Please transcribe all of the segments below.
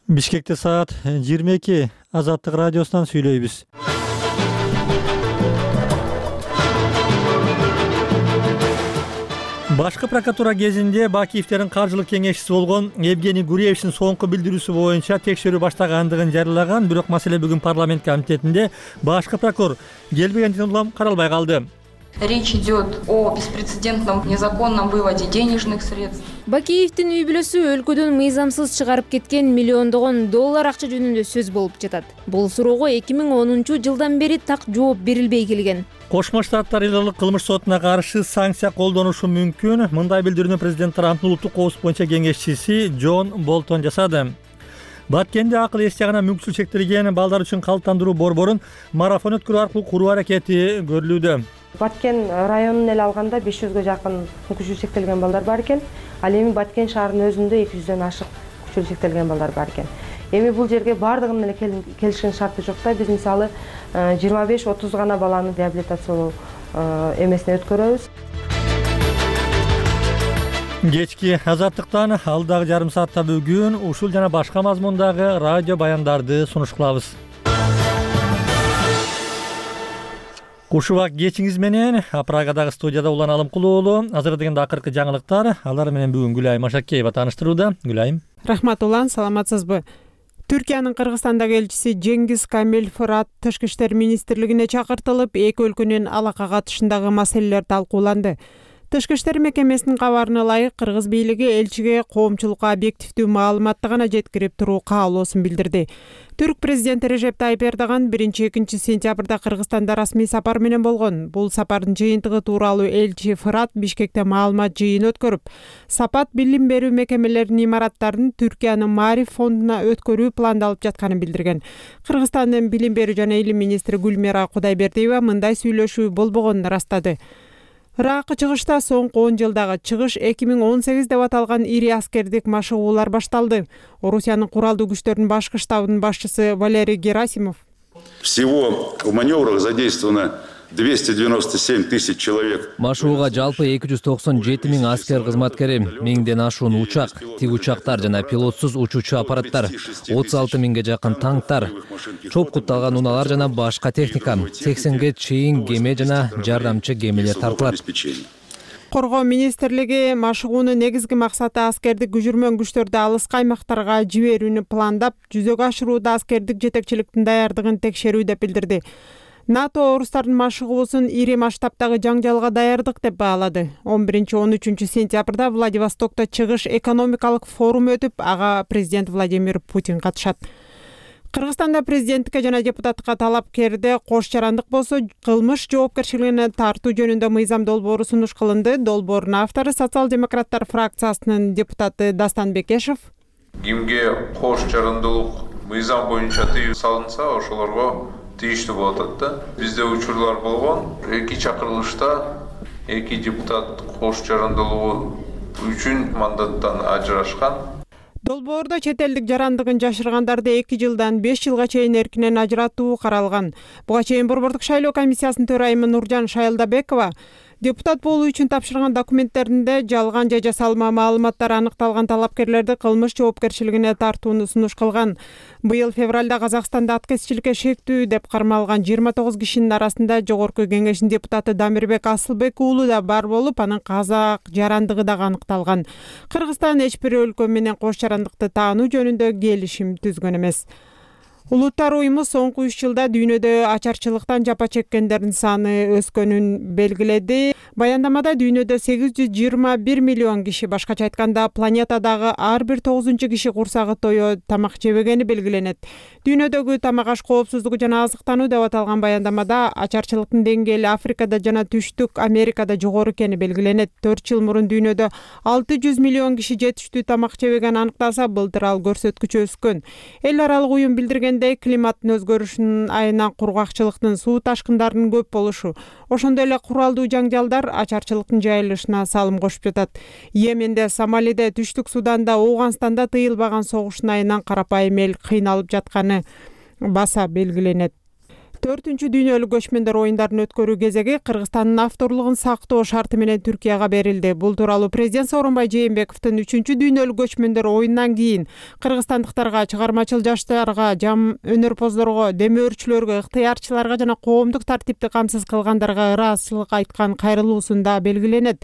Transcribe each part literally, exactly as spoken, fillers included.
Бишкекте саат жыйырма эки. Азаттык радиосунан сүйлөйбүз. Башкы прокуратура кезинде Бакиевдердин каржылык кеңешчиси болгон Евгений Гуревичтин соңку билдирүүсү боюнча текшерүү баштагандыгын жарыялаган, бирок маселе бүгүн парламент комитетинде башкы прокурор келбегендиктен улам каралбай калды. Речь идет о беспрецедентном незаконном выводе денежных средств. Бакиевдин үй бүлөсү өлкөдөн мыйзамсыз чыгарып кеткен миллиондогон доллар акча жөнүндө сөз болуп жатат. Бул суроого эки миң онунчу жылдан бери так жооп берилбей келген. Кошмо Штаттар элдик кылмыш сотуна каршы санкция колдонушу мүмкүн. Мындай билдирүүнү президент Трамптын улуттук коопсуздук боюнча кеңешчиси Джон Болтон жасады. Баткенде акыл эс жагына мүмкүнчүлүгү чектелген балдар үчүн калыптандыруу борборун марафон өткөрүү аркылуу куруу аракети көрүлүүдө. Баткен районун эле алганда беш жүзгө жакын мүмкүнчүлүгү чектелген балдар бар экен. Ал эми Баткен шаарынын өзүндө эки жүздөн ашык мүмкүнчүлүгү чектелген балдар бар экен. Эми бул жерге бардыгынын эле келишкен шарты жок да. Биз мисалы жыйырма беш отуз гана баланы реабилитациялоо эмесине өткөрөбүз. Кечки азаттыктан алдагы жарым саатта бүгүн ушул жана башка мазмундагы радио баяндарды сунуш кылабыз. Кушубак кечиңиз менен Прагадагы студияда Улан Алымкулуу уулу. Азыр дегенде акыркы жаңылыктар. Алар менен бүгүн Гүлайым Ашакеева тааныштырууда. Гүлайым. Рахмат Улан, саламатсызбы? Түркиянын Кыргызстандагы элчиси Жеңгиз Камил Фырат Тышкы иштер министрлигине чакыртылып, эки өлкөнүн алака катышындагы маселелер талкууланды. Тышкы иштер мекемесинин кабарына ылайык, кыргыз бийлиги элчиге коомчулукка объективдүү маалыматты гана жеткирип туруу каалоосун билдирди. Түрк президенти Режеп Тайып Эрдоган биринчи-экинчи сентябрда Кыргызстанда расмий сапар менен болгон. Бул сапардын жыйынтыгы тууралуу элчи Фырат Бишкекте маалымат жыйын өткөрүп, сапат билим берүү мекемелеринин имараттарын Түркиянын Маариф фондуна өткөрүү пландалып жатканын билдирген. Кыргызстандын билим берүү жана илим министри Гүлмира Кудайбердиева мындай сүйлөшүү болбогонун ырастады. Ыракы чыгышта соңку он жылдагы чыгыш эки миң он сегиз деп аталган ири аскердик машыгуулар башталды. Орусиянын куралдуу күчтөрүнүн башкы штабынын башчысы Валерий Герасимов. Всего в маневрах задействовано двести девяносто семь тысяч человек. Машууга жалпы эки жүз токсон жети миң аскер кызматкери, миңден ашуун учак, тик учактар жана пилотсуз учуучу аппараттар, отуз алты миңге жакын танктар, чопкутталган унаалар жана башка техника, сексенге чейин кеме жана жардамчы кемелер тартылат. Коргоо министрлиги машыгуунун негизги максаты аскердик күжүрмөн күчтөрдү алыскы аймактарга жиберүүнү пландап, жүзөгө ашырууда аскердик жетекчиликтин даярдыгын текшерүү деп билдирди. НАТО орустардын машыгуусун ири масштабтагы жаңжалга даярдык деп баалады. он биринчи он үчүнчү сентябрда Владивостокто чыгыш экономикалык форум өтүп, ага президент Владимир Путин катышат. Кыргызстанда президенттикке жана депутаттыкка талапкерде кош жарандык болсо, кылмыш жоопкерчилигине тартуу жөнүндө мыйзам долбоору сунуш кылынды. Долбоордун автору социал-демократтар фракциясынын депутаты Дастан Бекешев. Кимге кош жарандылык мыйзам боюнча тыюу салынса, ошолорго тийиштүү болуп атат да. Бизде учурлар болгон. Эки чакырылышта эки депутат кош жарандылыгы үчүн мандаттан ажырашкан. Долбоордо чет элдик жарандыгын жашыргандарды эки жылдан беш жылга чейин эркинен ажыратуу каралган. Буга чейин Борбордук шайлоо комиссиясынын төрайымы Нуржан Шайылдабекова депутат болуу үчүн тапшырган документтеринде жалган же жасалма маалыматтар аныкталган талапкерлерди кылмыш жоопкерчилигине тартууну сунуш кылган. Быйыл февралда Казакстанда аткезчиликке шектүү деп кармалган жыйырма тогуз кишинин арасында Жогорку Кеңештин депутаты Дамирбек Асылбек уулу да бар болуп, анын казак жарандыгы дагы аныкталган. Кыргызстан эч бир өлкө менен кош жарандыкты таануу жөнүндө келишим түзгөн эмес. Улуттар уюму соңку үч жылда дүйнөдө ачарчылыктан жапа чеккендердин саны өскөнүн белгиледи. Баяндамада дүйнөдө сегиз жүз жыйырма бир миллион киши, башкача айтканда планетадагы ар бир тогузунчу киши курсагы тоё тамак жебегени белгиленет. Дүйнөдөгү тамак аш коопсуздугу жана азыктануу деп аталган баяндамада ачарчылыктын деңгээли Африкада жана Түштүк Америкада жогору экени белгиленет. төрт жыл мурун дүйнөдө алты жүз миллион киши жетиштүү тамак жебеген аныкталса, былтыр ал көрсөткүч өскөн. Эл аралык уюм билдирген климаттын өзгөрүшүнүн айынан кургакчылыктын, суу ташкындарынын көп болушу, ошондой эле куралдуу жаңжалдар ачарчылыктын жайылышына салым кошуп жатат. Йеменде, Сомалиде, Түштүк Суданда, Ооганстанда тыйылбаган согуштун айынан карапайым эл кыйналып жатканы баса белгиленет. төртүнчү дүйнөлүк көчмөндөр оюндарын өткөрүү кезеги Кыргызстандын авторлугун сактоо шарты менен Түркияга берилди. Бул тууралуу президент Сооронбай Жээнбековдун үчүнчү дүйнөлүк көчмөндөр оюнунан кийин кыргызстандыктарга, чыгармачыл жаштарга, жам өнөрпоздорго, демөөрчүлөргө, ыктыярчыларга жана коомдук тартипти камсыз кылгандарга ыраазычылык айткан кайрылуусунда белгиленет.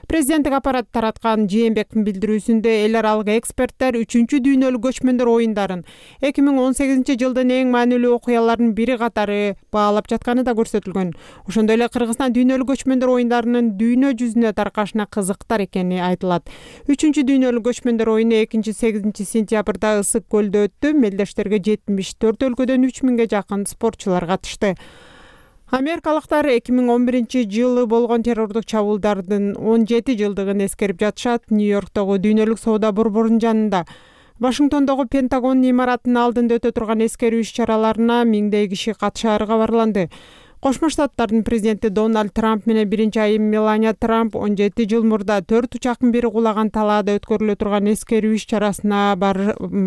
Президенттик аппарат тараткан Жээнбековдун билдирүүсүндө эл аралык эксперттер үчүнчү дүйнөлүк көчмөндөр оюндарын эки миң он сегизинчи жылдын эң маанилүү окуяларынын бири катары баалап жатканы да көрсөтүлгөн. Ошондой эле Кыргызстан дүйнөлүк көчмөндөр оюндарынын дүйнө жүзүнө таркашына кызыктар экени айтылат. үчүнчү дүйнөлүк көчмөндөр оюну экинчи сегизинчи сентябрда Ысык көлдө өттү. Мелдештерге жетимиш төрт өлкөдөн үч миңге жакын спортчулар катышты. Америкалыктар эки миң он биринчи жылы болгон террордук чабуулдардын он жети жылдыгын эскерип жатышат. Нью-Йорктогу дүйнөлүк соода борборунун жанында Вашингтондогу Пентагон имаратынын алдында өтө турган эскерүү иш-чараларына миңдей киши катышаары кабарланды. Кошмо Штаттардын президенти Дональд Трамп менен биринчи айым Мелания Трамп он жети жыл мурда төрт учактын бири кулаган талаада өткөрүлө турган эскерүү иш-чарасына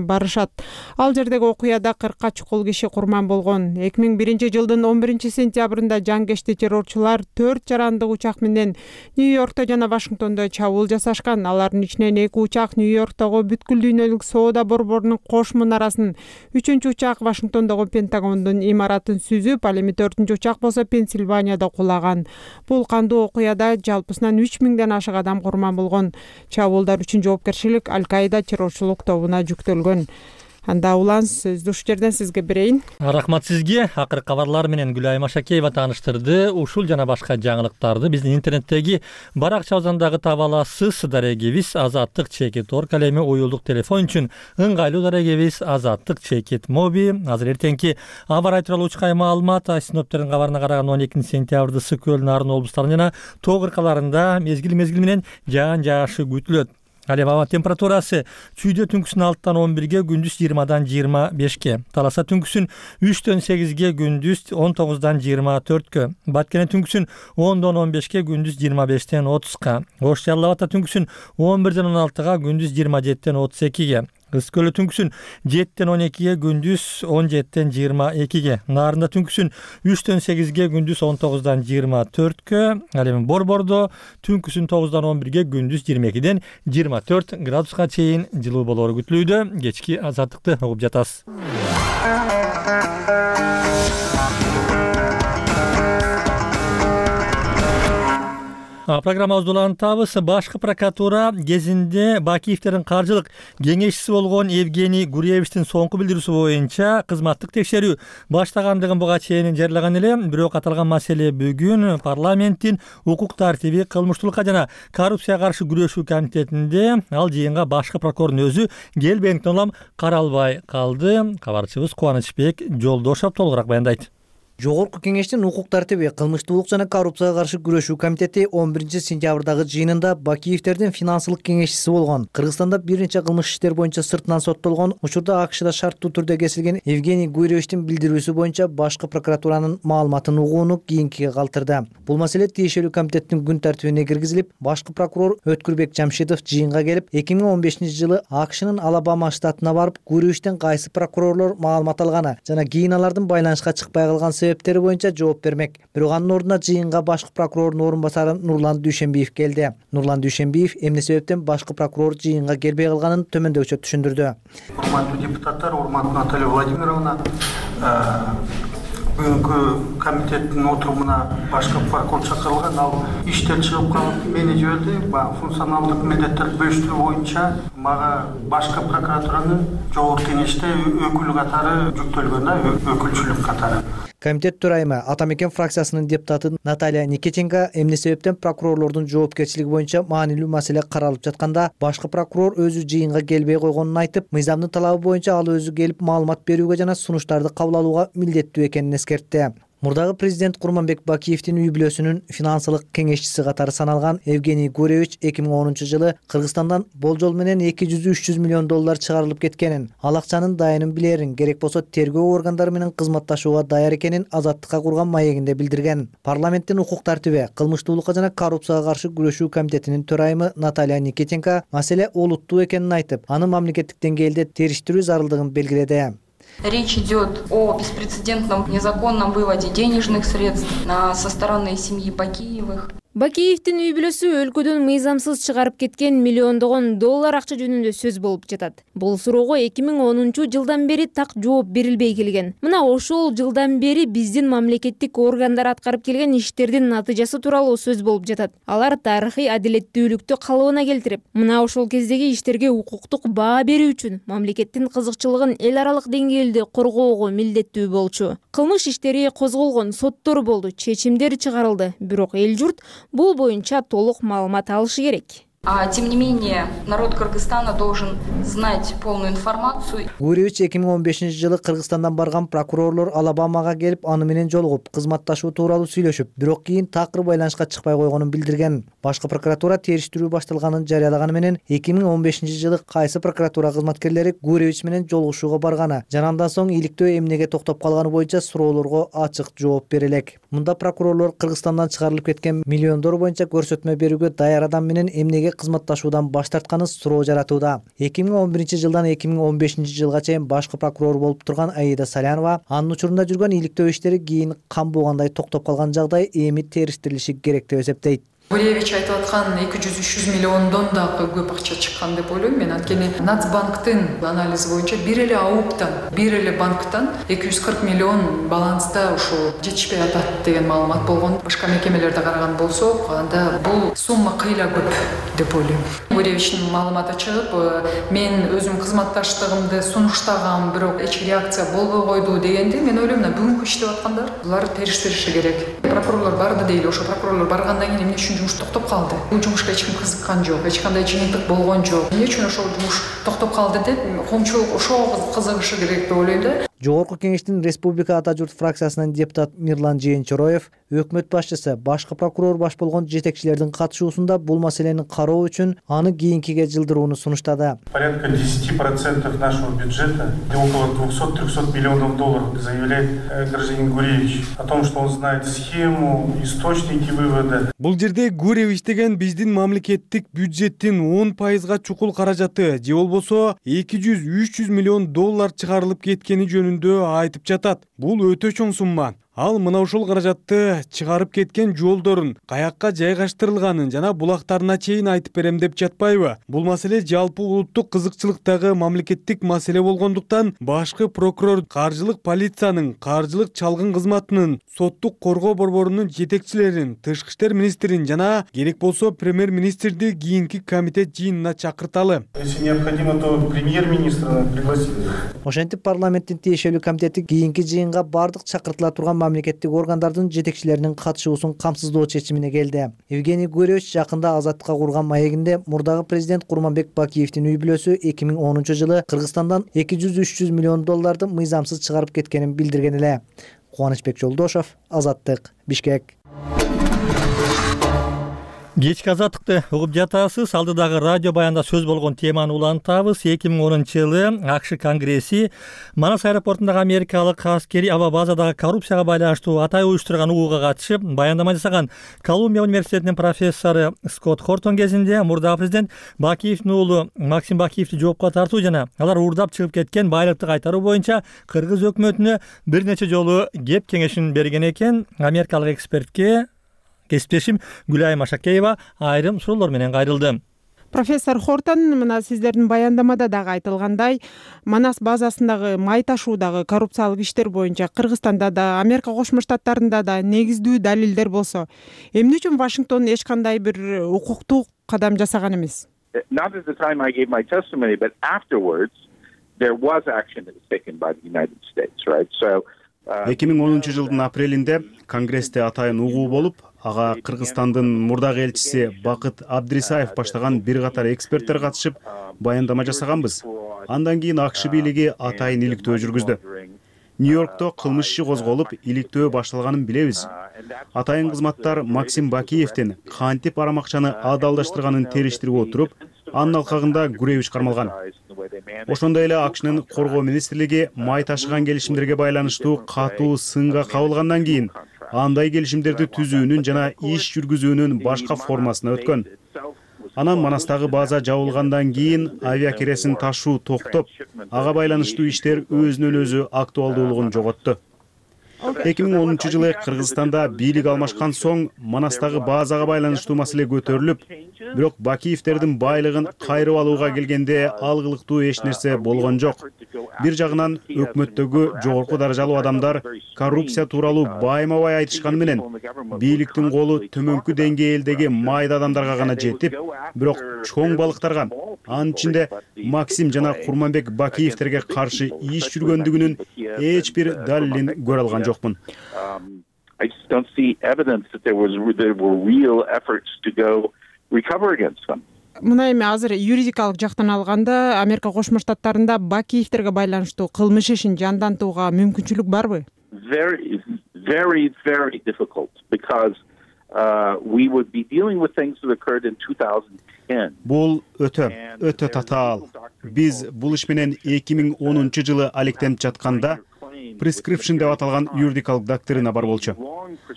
барышат. Ал жердеги окуяда кыркка чукул киши курман болгон. эки миң биринчи жылдын он биринчи сентябрында жангешти террорчулар төрт жарандык учак менен Нью-Йоркто жана Вашингтондо чабуул жасашкан. Алардын ичинен эки учак Нью-Йорктогу бүткүл дүйнөлүк соода борборунун кош мунарасын, үчүнчү учак Вашингтондогу Пентагондун имаратын сүзүп, ал эми төртүнчү учак болсо Пенсильванияда кулаган. Бул кандуу окуяда жалпысынан үч миңден ашык адам курман болгон. Чабуулдар үчүн жоопкерчилик Аль-Каида террорчулук тобуна жүктөлгөн. Анда улан сөздү ушул жерден сизге берейин. Рахмат сизге. Акыркы кабарлар менен Гүлайым Ашакеева тааныштырды. Ушул жана башка жаңылыктарды биздин интернеттеги баракчабыздан таба аласыз. Дарегибиз Азаттык чекит орг, ал эми уюлдук телефон үчүн ыңгайлуу дарегибиз Азаттык чекит моби. Азыр эртеңки аба ырайы тууралуу учкай маалымат синоптиктердин кабарына караганда он экинчи сентябрда ысык көл, Нарын облустарынын жана тоо кыркаларында мезгил мезгил менен жаан жаашы күтүлөт. Ал эми аба температурасы чүйдө түнкүсүн алтыдан он бирге, күндүз жыйырмадан жыйырма бешке. Таласа түнкүсүн үчтөн сегизге, күндүз он тогуздан жыйырма төрткө. Баткене түнкүсүн ондон он бешке, күндүз жыйырма бештен отузга. Ош Жалал Абадта түнкүсүн он бирден он алтыга, күндүз жыйырма жетиден отуз экиге. Ысык көлдө түнкүсүн жетиден он экиге, күндүз он жетиден жыйырма экиге. Нарында түнкүсүн үчтөн сегизге, күндүз он тогуздан жыйырма төрткө. Ал эми Борбордо түнкүсүн тогуздан он бирге, күндүз жыйырма экиден жыйырма төрт градуска чейин жылуу болоору күтүлүүдө. Кечки Азаттыкты угуп жатасыз. Программабызды улантабыз. Башкы прокуратура кезинде Бакиевдердин каржылык кеңешчиси болгон Евгений Гуревичтин соңку билдирүүсү боюнча кызматтык текшерүү баштагандыгын буга чейин жарыяган эле. Бирок аталган маселе бүгүн парламенттин укук тартиби, кылмыштуулукка жана коррупцияга каршы күрөшүү комитетинде ал жыйынга башкы прокурордун өзү келбегендиктен улам каралбай калды. Кабарчыбыз Кубанычбек Жолдошов толугураак баяндайт. Жогорку кеңештин укук тартиби, кылмыштуулук жана коррупцияга каршы күрөшүү комитети он биринчи сентябрдагы жыйынында Бакиевдердин финансылык кеңешчиси болгон, Кыргызстанда бир нече кылмыш иштер боюнча сыртынан соттолгон, учурда АКШда шарттуу түрдө кесилген Евгений Гуревичтин билдирүүсү боюнча башкы прокуратуранын маалыматын угууну кийинкиге калтырды. Бул маселе тиешелүү комитеттин күн тартибине киргизилип, башкы прокурор Өткүрбек Жамшитов жыйынга келип, эки миң он бешинчи жылы АКШнын Алабама штатына барып, Гуревичтен кайсы прокурорлор маалымат алганы жана кийин алардын байланышка чыкпай калган себептери боюнча жооп бермек. Бирок анын ордуна жыйынга башкы прокурордун орун басары Нурлан Дүйшенбиев келди. Нурлан Дүйшенбиев эмне себептен башкы прокурор жыйынга келбей калганын төмөндөгүчө түшүндүрдү. Урматтуу депутаттар, урматтуу Наталья Владимировна, бүгүнкү комитеттин отурумуна башкы прокурор чакырылган, ал иштен чыгып калып мени жиберди. Функционалдык милдеттер бөлүштүрүү боюнча мага башкы прокуратуранын жогорку кеңеште өкүл катары жүктөлгөн, өкүлчүлүк катары. Комитет төрайымы Атамекен фракциясынын депутаты Наталья Никитенко эмне себептен прокурорлордун жоопкерчилиги боюнча маанилүү маселе каралып жатканда башкы прокурор өзү жыйынга келбей койгонун айтып, мыйзамдын талабы боюнча ал өзү келип маалымат берүүгө жана сунуштарды кабыл алууга милдеттүү экенин эскертти. Мурдагы президент Курманбек Бакиевдин үй бүлөсүнүн финансылык кеңешчиси катары саналган Евгений Гуревич эки миң онунчу жылы Кыргызстандан болжол менен эки жүз үч жүз миллион доллар чыгарылып кеткенин, ал акчанын дайынын билерин, керек болсо тергөө органдары менен кызматташууга даяр экенин Азаттыкка курган маегинде билдирген. Парламенттин укук тартиби, кылмыштуулукка жана коррупцияга каршы күрөшүү комитетинин төрайымы Наталья Никитенко маселе олуттуу экенин айтып, аны мамлекеттик деңгээлде териштирүү зарылдыгын белгиледи. Речь идет о беспрецедентном незаконном выводе денежных средств со стороны семьи Бакиевых. Бакиевдин үй бүлөсү өлкөдөн мыйзамсыз чыгарып кеткен миллиондогон доллар акча жөнүндө сөз болуп жатат. Бул суроого эки миң онунчу жылдан бери так жооп берилбей келген. Мына ошол жылдан бери биздин мамлекеттик органдар аткарып келген иштердин натыйжасы тууралуу сөз болуп жатат. Алар тарыхый адилеттүүлүктү калыбына келтирип, мына ошол кездеги иштерге укуктук баа берүү үчүн мамлекеттин кызыкчылыгын эл аралык деңгээлде коргоого милдеттүү болчу. Кылмыш иштери козголгон, соттор болду, чечимдер чыгарылды. Бирок эл журт бул боюнча толук маалымат алышы керек. А тем не менее, народ Кыргызстана должен знать полную информацию. Гуревич эки миң он бешинчи жылы Кыргызстандан барган прокурорлор Алабамага келип, аны менен жолугуп, кызматташуу тууралуу сүйлөшүп, бирок кийин такыр байланышка чыкпай койгонун билдирген. Башкы прокуратура териштирүү башталганын жарыялаганы менен эки миң он бешинчи жылы кайсы прокуратура кызматкерлери Гуревич менен жолугушууга барганы жана андан соң иликтөө эмнеге токтоп калганы боюнча суроолорго ачык жооп бере элек. Мында прокурорлор Кыргызстандан чыгарылып кеткен миллиондор боюнча көрсөтмө берүүгө даяр адам менен эмнеге кызматташуудан баш тартканы суроо жаратууда. эки миң он биринчи жылдан эки миң он бешинчи жылга чейин башкы прокурор болуп турган Аида Салянова анын учурунда жүргөн иликтөө иштери кийин кан болгондой токтоп калган жагдай эми териштирилиши керек деп эсептейт. Гуревич айтып аткан эки жүз үч жүз миллиондон дагы көп акча чыккан деп ойлойм мен. Анткени Нацбанктын анализи боюнча бир эле АУПтан, бир эле банктан эки жүз кырк миллион баланста ушул жетишпей атат деген маалымат болгон. Башка мекемелерде караган болсок, анда бул сумма кыйла көп деп ойлойм. Гуревичтин маалыматы чыгып, мен өзүм кызматташтыгымды сунуштагам, бирок эч реакция болбой койду дегенде мен ойлойм, бүгүнкү иштеп аткандар булар териштириши керек. Прокурорлор барды дейли, ошо прокурорлор баргандан кийин эмне үчүн жумуш токтоп калды? Бул жумушка эч ким кызыккан жок, эч кандай жыйынтык болгон жок. Эмне үчүн ошол жумуш токтоп калды деп коомчулук ошого кызыгышы керек деп ойлойм да. Жогорку кеңештин Республика Ата журт фракциясынын депутат Мирлан Жээнчороев өкмөт башчысы башкы прокурор баш болгон жетекчилердин катышуусунда бул маселени кароо үчүн аны кийинкиге жылдырууну сунуштады. Порядка десять процентов нашего бюджета, около двухсот-трехсот миллионов долларов, заявляет гражданин Гуревич о том, что он знает схему, источники вывода. Бул жерде Гуревич деген биздин мамлекеттик бюджеттин он пайызга чукул каражаты же болбосо эки жүз үч жүз миллион доллар чыгарылып кеткени жөнүндө айтып жатат. Бул өтө чоң сумма. Ал мына ушул каражатты чыгарып кеткен жолдорун, каякка жайгаштырылганын жана булактарына чейин айтып берем деп жатпайбы? Бул маселе жалпы улуттук кызыкчылыктагы мамлекеттик маселе болгондуктан башкы прокурор, каржылык полициянын, каржылык чалгын кызматынын, соттук коргоо борборунун жетекчилерин, тышкы иштер министрин жана керек болсо премьер-министрди кийинки комитет жыйынына чакырталы. Если необходимо, то премьер-министра пригласить. Ошентип парламенттин тиешелүү комитети кийинки жыйынга бардык чакыртыла турган мамлекеттик органдардын жетекчилеринин катышуусун камсыздоо чечимине келди. Евгений Гуревич жакында Азаттыкка курган маегинде мурдагы президент Курманбек Бакиевдин үй бүлөсү эки миң онунчу жылы Кыргызстандан эки жүз үч жүз миллион долларды мыйзамсыз чыгарып кеткенин билдирген эле. Кубанычбек Жолдошов, Азаттык, Бишкек. Кечки Азаттыкты угуп жатасыз. Алдыдагы радио баянда сөз болгон теманы улантабыз. эки миң онунчу жылы АКШ Конгресси Манас аэропортундагы америкалык аскери аба базадагы коррупцияга байланыштуу атай уюштурган угууга катышып баяндама жасаган Колумбия университетинин профессору Скотт Хортон кезинде мурдагы президент Бакиевдин уулу Максим Бакиевди жоопко тартуу жана алар уурдап чыгып кеткен байлыкты кайтаруу боюнча кыргыз өкмөтүнө бир нече жолу кеп кеңешин берген экен. Америкалык экспертке кесиптешим Гүлайым Ашакеева айрым суроолор менен кайрылды. Профессор Хортон, мына сиздердин баяндамада дагы айтылгандай, Манас базасындагы май ташуудагы коррупциялык иштер боюнча Кыргызстанда да, Америка Кошмо Штаттарында да негиздүү далилдер болсо, эмне үчүн Вашингтон эч кандай бир укуктук кадам жасаган эмес? Not at the time I gave my testimony, but afterwards there was action that was taken by the United States, right? So эки миң онунчу жылдын апрелинде Конгрессте атайын угуу болуп, ага Кыргызстандын мурдагы элчиси Бакыт Абдрисаев баштаган бир катар эксперттер катышып баяндама жасаганбыз. Андан кийин АКШ бийлиги атайын иликтөө жүргүздү. Нью-Йоркто кылмыш иши козголуп, иликтөө башталганын билебиз. Атайын кызматтар Максим Бакиевдин кантип арамакчаны адалдаштырганын териштирип отуруп, анын алкагында Гуревич кармалган. Ошондой эле АКШнын коргоо министрлиги май ташыган келишимдерге байланыштуу катуу сынга кабылгандан кийин андай келишимдерди түзүүнүн жана иш жүргүзүүнүн башка формасына өткөн. Анан Манастагы база жабылгандан кийин авиа киресин ташуу токтоп, ага байланыштуу иштер өзүнөн өзү актуалдуулугун жоготту. эки миң онунчу жылы Кыргызстанда бийлик алмашкан соң Манастагы базага байланыштуу маселе көтөрүлүп, бирок Бакиевтердин байлыгын кайрып алууга келгенде алгылыктуу эч нерсе болгон жок. Бир жагынан өкмөттөгү жогорку даражалуу адамдар коррупция тууралуу байма-бай айтышканы менен бийликтин колу төмөнкү деңгээлдеги майда адамдарга гана жетип, бирок чоң балыктарга, анын ичинде Максим жана Курманбек Бакиевтерге каршы иш жүргөндүгүнүн эч бир далилин көрө алган жокмун. I just don't see evidence that there was there were real efforts to go recover against them. Мына эми азыр юридикалык жактан алганда Америка Кошмо Штаттарында Бакиевтерге байланыштуу кылмыш ишин жандантууга мүмкүнчүлүк барбы? Very, very, very difficult because uh, we would be dealing with things that occurred in two thousand ten. Бул өтө, өтө татаал. Биз бул иш менен эки миң онунчу жылы алектенип жатканда prescription деп аталган юридикалык доктрина бар болчу.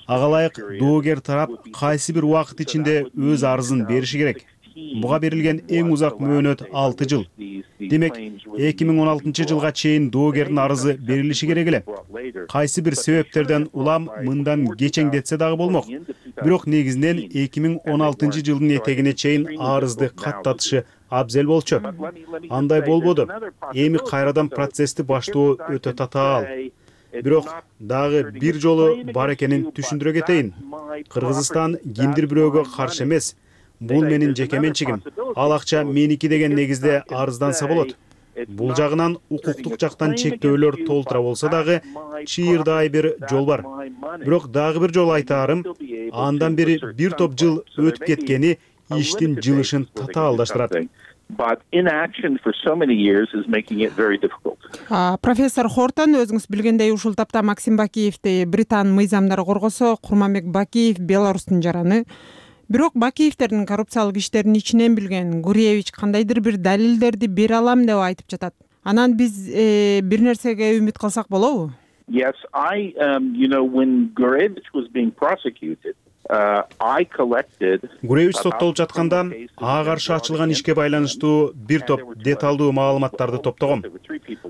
Ага ылайык доогер тарап кайсы бир убакыт ичинде өз арызын бериши керек. Буга берилген эң узак мөөнөт алты жыл. Демек, эки миң он алтынчы жылга чейин доогердин арызы берилиши керек эле. Кайсы бир себептерден улам мындан кечеңдетсе дагы болмок. Бирок негизинен эки миң он алтынчы жылдын этегине чейин арызды каттатышы абзел болчу. Андай болбоду. Эми кайрадан процессти баштоо өтө татаал. Бирок дагы бир жолу бар экенин түшүндүрө кетейин. Кыргызстан кимдир бирөөгө каршы эмес. Бул менин жеке менчигим. Ал акча меники деген негизде арызданса болот. Бул жагынан укуктук жактан чектөөлөр толтура болсо дагы чыйырдай бир жол бар. Бирок дагы бир жолу айтаарым, андан бери бир топ жыл өтүп кеткени иштин жылышын татаалдаштырат. But inaction for so many years is making it very difficult. Профессор Хортон, өзүңүз билгендей ушул тапта Максим Бакиевди Британ мыйзамдары коргосо, Курманбек Бакиев Беларустун жараны. Бирок Бакиевтердин коррупциялык иштерин ичинен билген Гуревич кандайдыр бир далилдерди бере алам деп айтып жатат. Анан биз э, бир нерсеге үмүт кылсак болобу? Yes, I um, you know when Gurevich was being prosecuted, uh, I collected Гуревич соттолуп жатканда ага каршы ачылган ишке байланыштуу бир топ деталдуу маалыматтарды топтогом.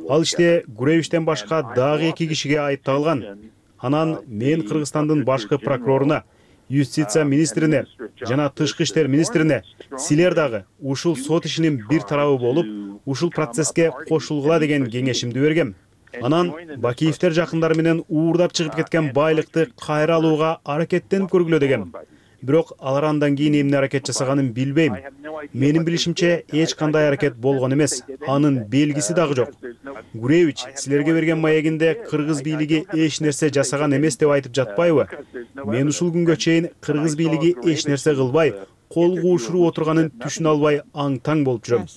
Ал иште Гуревичтен башка дагы эки кишиге айыпталган. Анан мен Кыргызстандын башкы прокуроруна, Юстиция министрине жана Тышкы иштер министрине силер дагы ушул сот ишинин бир тарабы болуп, ушул процесске кошулгула деген кеңешимди бергем. Анан Бакиевтер жакындары менен уурдап чыгып кеткен байлыкты кайра алууга аракеттенип көргүлө дегем. Бирок алар андан кийин эмне аракет жасаганын билбейм. Менин билишимче эч кандай аракет болгон эмес. Анын белгиси дагы жок. Гуревич силерге берген маегинде кыргыз бийлиги эч нерсе жасаган эмес деп айтып жатпайбы? Мен ушул күнгө чейин кыргыз бийлиги эч нерсе кылбай, кол куушуруп отурганын түшүнө албай аң-таң болуп жүрөм.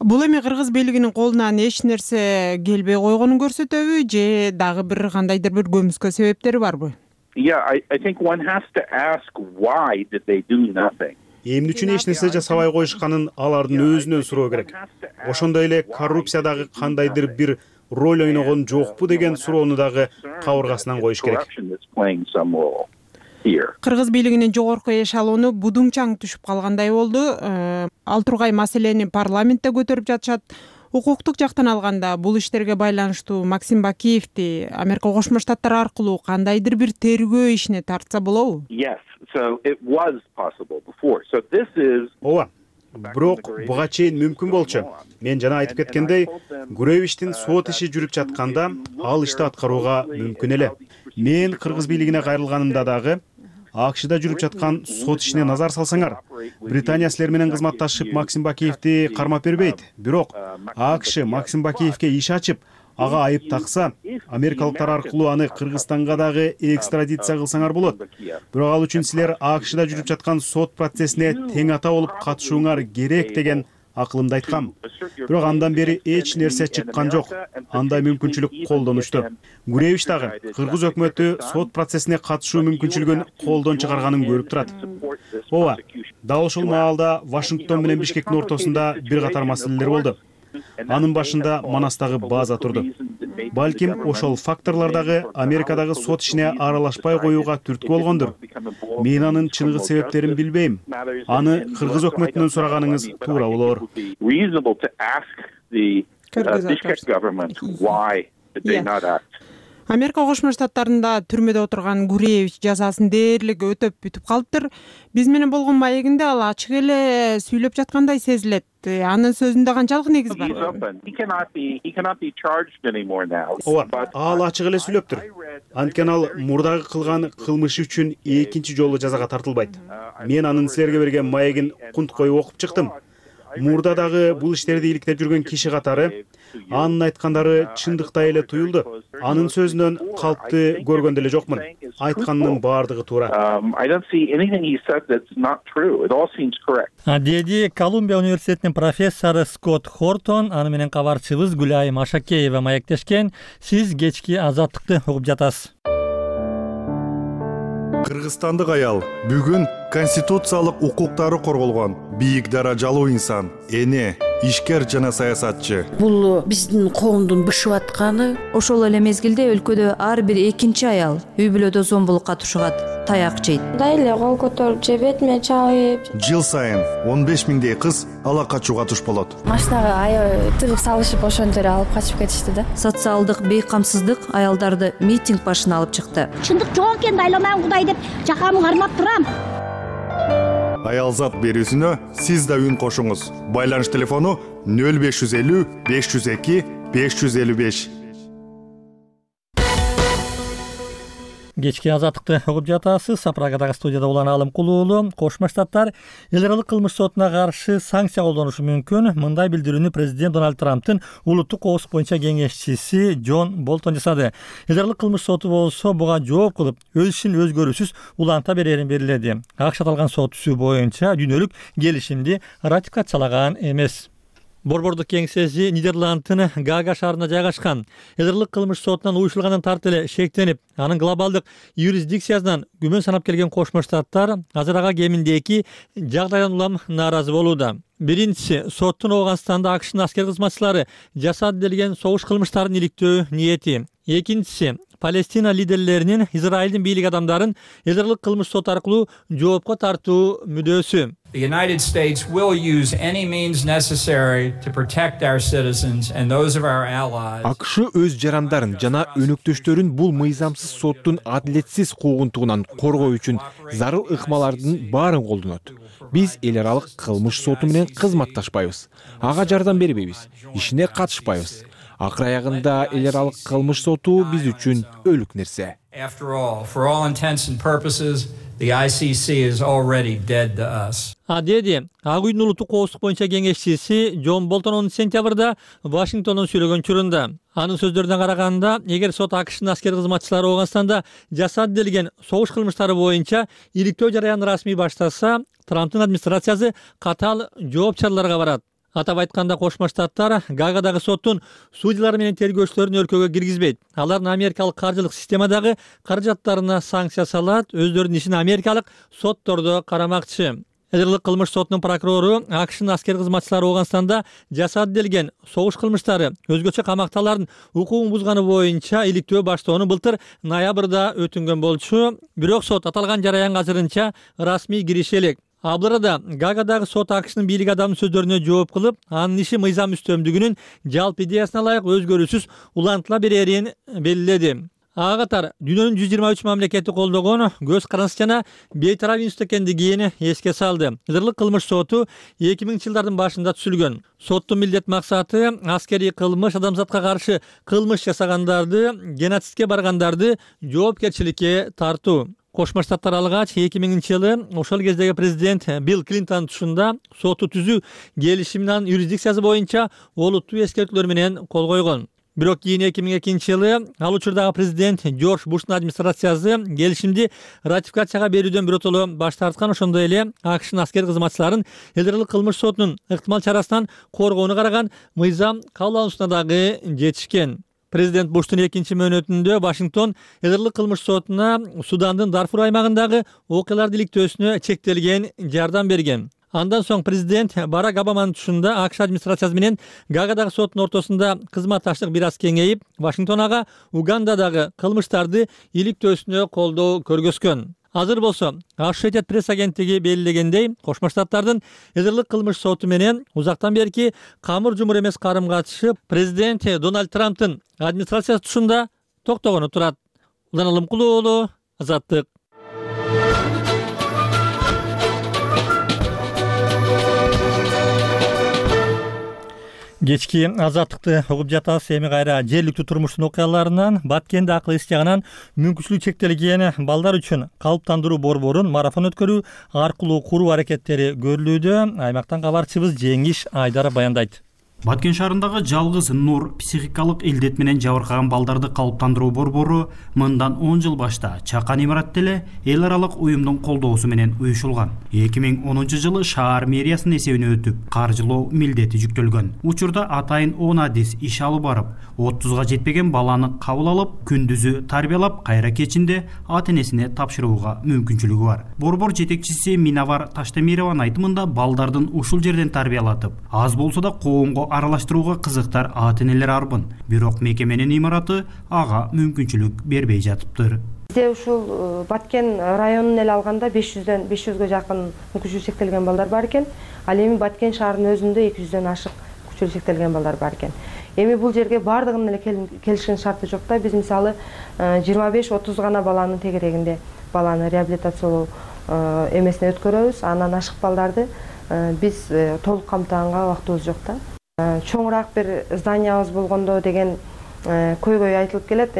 Бул эми кыргыз бийлигинин колунан эч нерсе келбей койгонун көрсөтөбү, же дагы бир кандайдыр бир көмүскө себептери барбы? Yeah, I, I think one has to ask why did they do nothing. Эмне үчүн эч нерсе жасабай коюшканын алардын өзүнөн суроо керек. Ошондой эле коррупциядагы кандайдыр бир роль ойногон жокпу деген суроону дагы кабыргасынан коюш керек. Кыргыз бийлигинин жогорку эшелону будуңчаң түшүп калгандай болду. Ал тургай маселени парламентте көтөрүп жатышат. Укуктук жактан алганда бул иштерге байланыштуу Максим Бакиевди Америка Кошмо Штаттары аркылуу кандайдыр бир тергөө ишине тартса болобу? Yes, so it was possible before. So this is Ооба. Бирок буга чейин мүмкүн болчу. Мен жана айтып кеткендей, Гуревичтин сот иши жүрүп жатканда ал ишти аткарууга мүмкүн эле. Мен кыргыз бийлигине кайрылганымда дагы АКШда жүрүп жаткан сот ишине назар салсаңар, Британия силер менен кызматташып Максим Бакиевди кармап бербейт. Бирок АКШ Максим Бакиевге иш ачып, ага айып такса, америкалыктар аркылуу аны Кыргызстанга дагы экстрадиция кылсаңар болот. Бирок ал үчүн силер АКШда жүрүп жаткан сот процессине тең ата болуп катышууңар керек деген акылымды айткам. Бирок андан бери эч нерсе чыккан жок. Андай мүмкүнчүлүк колдонушту. Гуревич дагы кыргыз өкмөтү сот процессине катышуу мүмкүнчүлүгүн колдон чыгарганын көрүп турат. Ооба, дал ошол маалда Вашингтон менен Бишкектин ортосунда бир катар маселелер болду. Анын башында Манастагы база турду. балким ошол факторлор дагы Америкадагы сот ишине аралашпай коюуга түрткү болгондур. Мен анын чыныгы себептерин билбейм. Аны кыргыз өкмөтүнөн сураганыңыз туура болор. Америка Кошмо Штаттарында түрмөдө отурган Гуреевич жазасын дээрлик өтөп бүтүп калыптыр. Биз менен болгон маегинде ал ачык эле сүйлөп жаткандай сезилет. Анын сөзүндө канчалык негиз бар? Ооба, ал ачык эле сүйлөптүр. Анткени ал мурдагы кылган кылмышы үчүн экинчи жолу жазага тартылбайт. Мен анын силерге берген маегин кунт коюп окуп чыктым. Мурда дагы бул иштерди иликтеп жүргөн киши катары анын айткандары чындыктай эле туюлду. Анын сөзүнөн калпты көргөн деле жокмун. Айтканынын баардыгы туура. Деди Колумбия университетинин профессору Скотт Хортон, аны менен кабарчыбыз Гүлайым Ашакеева маектешкен. Сиз кечки Азаттыкты угуп жатасыз. Кыргызстандык аял бүгүн конституциялык укуктары корголгон бийик даражалуу инсан, эне, ишкер жана саясатчы. Бул биздин коомдун бышып атканы. Ошол эле мезгилде өлкөдө ар бир экинчи аял үй бүлөдө зомбулукка тушугат, таяк жейт. Дайле кол көтөрүп же бетиме чабып. Жыл сайын он беш миңдей кыз ала качууга туш болот. Машинага аябай тыгып салышып ошентип эле алып качып кетишти да. Социалдык бейкамсыздык аялдарды митинг башына алып чыкты. Чындык жок экен, дайламайм Кудай деп жакамы кармап турам. Аялзат берүүсүнө сиз да үн кошуңуз. Байланыш телефону нөл беш жүз элүү беш жүз эки беш жүз элүү беш. Кечки Азаттыкты угуп жатасыз. Сапрагадагы студияда улан Алым Кулуулу. Кошмо Штаттар эл аралык кылмыш сотуна каршы санкция колдонушу мүмкүн. Мындай билдирүүнү президент Дональд Трамптын улуттук коопсуздук боюнча кеңешчиси Джон Болтон жасады. Эл аралык кылмыш соту болсо буга жооп кылып, өз ишин өзгөрүүсүз уланта берерин белгиледи. АКШ аталган сот түзүү боюнча дүйнөлүк келишимди ратификациялаган эмес. Борбордук кеңсеси Нидерландтын Гага шаарында жайгашкан. Эл аралык кылмыш сотунан уюшулгандан тарты эле шектенип, анын глобалдык юрисдикциясынан күмөн санап келген Кошмо Штаттар азыр ага кеминде эки жагдайдан улам нааразы болууда. Биринчиси, соттун Ооганстанда АКШнын аскер кызматчылары жасады делген согуш кылмыштарын иликтөө ниети. Экинчиси, Палестина лидерлеринин Израилдин бийлик адамдарын эл аралык кылмыш соту аркылуу жоопко тартуу мүдөөсү. The United States will use any means necessary to protect our citizens and those of our allies. АКШ өз жарандарын жана өнөктөштөрүн бул мыйзамсыз соттун адилетсиз куугунтугунан коргоо үчүн зарыл ыкмалардын баарын колдонот. Биз эл аралык кылмыш соту менен кызматташпайбыз. Ага жардам бербейбиз, ишине катышпайбыз. Акыр аягында эл аралык кылмыш соту биз үчүн өлүк нерсе. After all, for all intents and purposes, the I C C is already dead to us. А деди, Ак үйдүн улуттук коопсуздук боюнча кеңешчиси Джон Болтон он сентябрда Вашингтондон сүйлөгөн учурунда. Анын сөздөрүнө караганда, эгер сот АКШнын аскер кызматчылары Ооганстанда жасады делген согуш кылмыштары боюнча иликтөө жараянын расмий баштаса, Трамптын администрациясы катаал жооп чараларга барат. Атап айтканда, Кошмо Штаттар Гагадагы соттун судьялары менен тергөөчүлөрүн өлкөгө киргизбейт. Алардын америкалык каржылык системадагы каражаттарына санкция салат, өздөрүнүн ишин америкалык соттордо карамакчы. Эл аралык кылмыш сотунун прокурору АКШнын аскер кызматчылары Ооганстанда жасады делген согуш кылмыштары, өзгөчө камакталардын укугун бузганы боюнча иликтөө баштоону былтыр ноябрда өтүнгөн болчу. Бирок сот аталган жараянга азырынча расмий кириши элек. Абларада Гагадагы сот АКШнын бийлик адамынын сөздөрүнө жооп кылып, анын иши мыйзам үстөмдүгүнүн жалпы идеясына ылайык өзгөрүүсүз улантыла берерин белгиледи. Ага катар дүйнөнүн жүз жыйырма үч мамлекети колдогон көз карандысыз жана бейтарап институт экендигин эске салды. Эл аралык кылмыш соту эки миңинчи жылдардын башында түзүлгөн. Соттун милдет максаты аскерий кылмыш, адамзатка каршы кылмыш жасагандарды, геноцидке баргандарды жоопкерчиликке тартуу. Кошмо Штаттар алгач эки миңинчи жылы ошол кездеги президент Билл Клинтон тушунда соту түзүү келишиминин юрисдикциясы боюнча олуттуу эскертүүлөр менен кол койгон. Бирок кийин эки миң экинчи жылы ал учурдагы президент Джордж Буштун администрациясы келишимди ратификацияга берүүдөн биротоло баш тарткан. Ошондой эле АКШнын аскер кызматчыларын эл аралык кылмыш сотунун ыктымал чарасынан коргоону караган мыйзам кабыл алуусуна дагы жетишкен. Президент Буштун экинчи мөөнөтүндө Вашингтон эл аралык кылмыш сотуна Судандын Дарфур аймагындагы окуяларды иликтөөсүнө чектелген жардам берген. Андан соң президент Барак Обаманын тушунда АКШ администрациясы менен Гаагадагы соттун ортосунда кызматташтык бир аз кеңейип, Вашингтон ага Угандадагы кылмыштарды иликтөөсүнө колдоо көргөзгөн. Азыр болсо Associated Press агенттиги белгилегендей, Кошмо Штаттардын Эдирлик кылмыш соту менен узактан берки камыр жумур эмес карым-катышы президент Дональд Трамптын администрациясы тушунда токтогону турат. Улан Алымкулуу уулу, Азаттык. Кечки Азаттыкты угуп жатасыз. Эми кайра жергиликтүү турмуштун окуяларынан Баткенде акыл эс жагынан мүмкүнчүлүгү чектелген балдар үчүн калыптандыруу борборун марафон өткөрүү аркылуу куруу аракеттери көрүлүүдө. Аймактан кабарчыбыз Жеңиш Айдар баяндайт. Баткен шаарындагы жалгыз Нур психикалык илдет менен жабыркаган балдарды калыптандыруу борбору мындан он жыл башта чакан имаратта эле эл аралык уюмдун колдоосу менен уюшулган. эки миң онунчу жылы шаар мэриясынын эсебине өтүп, каржылоо милдети жүктөлгөн. Учурда атайын он адис иш алып барып, отузга жетпеген баланы кабыл алып, күндүзү тарбиялап, кайра кечинде ата-энесине тапшырууга мүмкүнчүлүгү бар. Борбор жетекчиси Минавар Таштемированын айтымында балдардын ушул жерден тарбиялатып, аз болсо да коомго аралаштырууга кызыктар ата-энелер арбын. Бирок мекеменин имараты ага мүмкүнчүлүк бербей жатыптыр. Бизде ушул Баткен районун эле алганда беш жүздөн беш жүзгө жакын мүмкүнчүлүгү чектелген балдар бар экен. Ал эми Баткен шаарынын өзүндө эки жүздөн ашык мүмкүнчүлүгү чектелген балдар бар экен. Эми бул жерге бардыгынын эле келишкен шарты жок да. Биз мисалы жыйырма беш отуз гана баланын тегерегинде баланы реабилитациялоо эмесине өткөрөбүз. Андан ашык балдарды биз толук камтыганга убактыбыз жок да. Чоңураак бир зданиябыз болгондо деген көйгөй айтылып келет.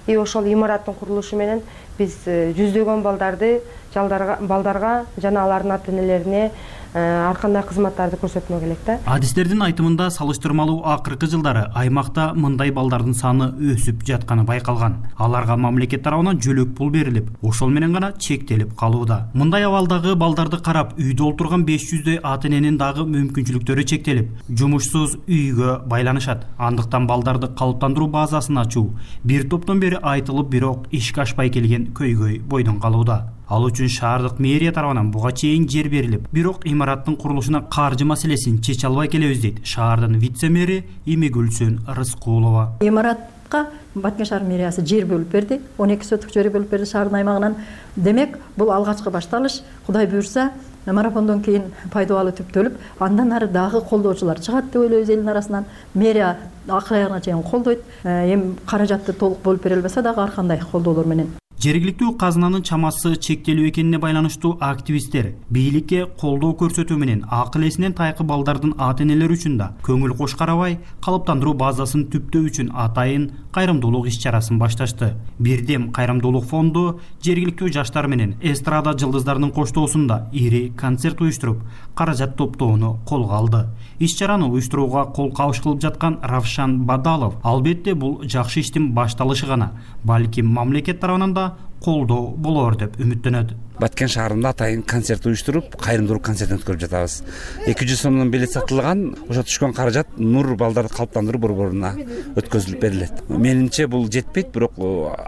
И ошол имараттын курулушу менен биз жүздөгөн балдарды балдарга жана алардын ата-энелерине ар кандай кызматтарды көрсөтмөк элек да. Адистердин айтымында салыштырмалуу акыркы жылдары аймакта мындай балдардын саны өсүп жатканы байкалган. Аларга мамлекет тарабынан жөлөк пул берилип, ошол менен гана чектелип калууда. Мындай абалдагы балдарды карап, үйдө олтурган беш жүздөй ата-эненин дагы мүмкүнчүлүктөрү чектелип, жумушсуз үйгө байланышат. Андыктан балдарды калыптандыруу базасын ачуу бир топтон бери айтылып, бирок ишке ашпай келген көйгөй бойдон калууда. Ал үчүн шаардык мэрия тарабынан буга чейин жер берилип, бирок имараттын курулушуна каржы маселесин чече албай келебиз дейт шаардын вице-мэри Имигүлсүн Рыскулова. Имаратка Баткен шаар мэриясы жер бөлүп берди, он эки соток жер бөлүп берди шаардын аймагынан. Демек, бул алгачкы башталыш. Кудай буйрса, марафондон кийин пайдалуу түптөлүп, андан ары дагы колдоочулар чыгат деп ойлойбуз элдин арасынан. Мэрия акыр аягына чейин колдойт. Эми каражатты толук бөлүп бере албаса дагы ар кандай колдоолор менен. Жергиликтүү казынанын чамасы чектелүү экенине байланыштуу активисттер бийликке колдоо көрсөтүү менен акыл эсинен тайкы балдардын ата-энелери үчүн да көңүл кош карабай калыптандыруу базасын түптөө үчүн атайын кайрымдуулук иш-чарасын башташты. Бирдем кайрымдуулук фонду жергиликтүү жаштар менен эстрада жылдыздарынын коштоосунда ири концерт уюштуруп, каражат топтоону колго алды. Иш-чараны уюштурууга кол кабыш кылып жаткан Равшан Бадалов албетте бул жакшы иштин башталышы гана, балким мамлекет тарабынан да колдоо болор деп үмүттөнөт. Баткен шаарында атайын концерт уюштуруп, кайрымдуулук концертин өткөрүп жатабыз. эки жүз сомдон билет сатылган, ошо түшкөн каражат Нур балдарды калыптандыруу борборуна өткөзүлүп берилет. Менимче бул жетпейт, бирок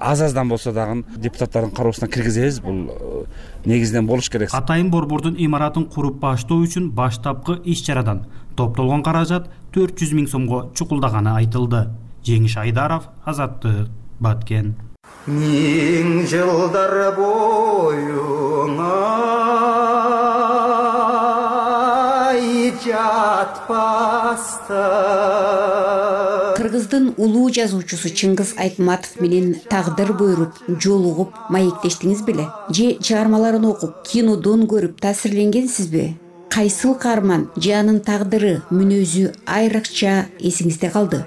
аз-аздан болсо дагы депутаттардын кароосуна киргизебиз. Бул негизинен болуш керек. Атайын борбордун имаратын куруп баштоо үчүн баштапкы иш-чарадан топтолгон каражат төрт жүз миң сомго чукулдаганы айтылды. Жеңиш Айдаров, Азаттык, Баткен. Миң жылдар бойуңа жатпаста. Кыргыздын улуу жазуучусу Чыңгыз Айтматов менен тагдыр буйруп, жолугуп, маектештиңиз беле? Же чыгармаларын окуп, кинодон көрүп таасирленгенсизби? Кайсыл каарман же анын тагдыры, мүнөзү айрыкча эсиңизде калды?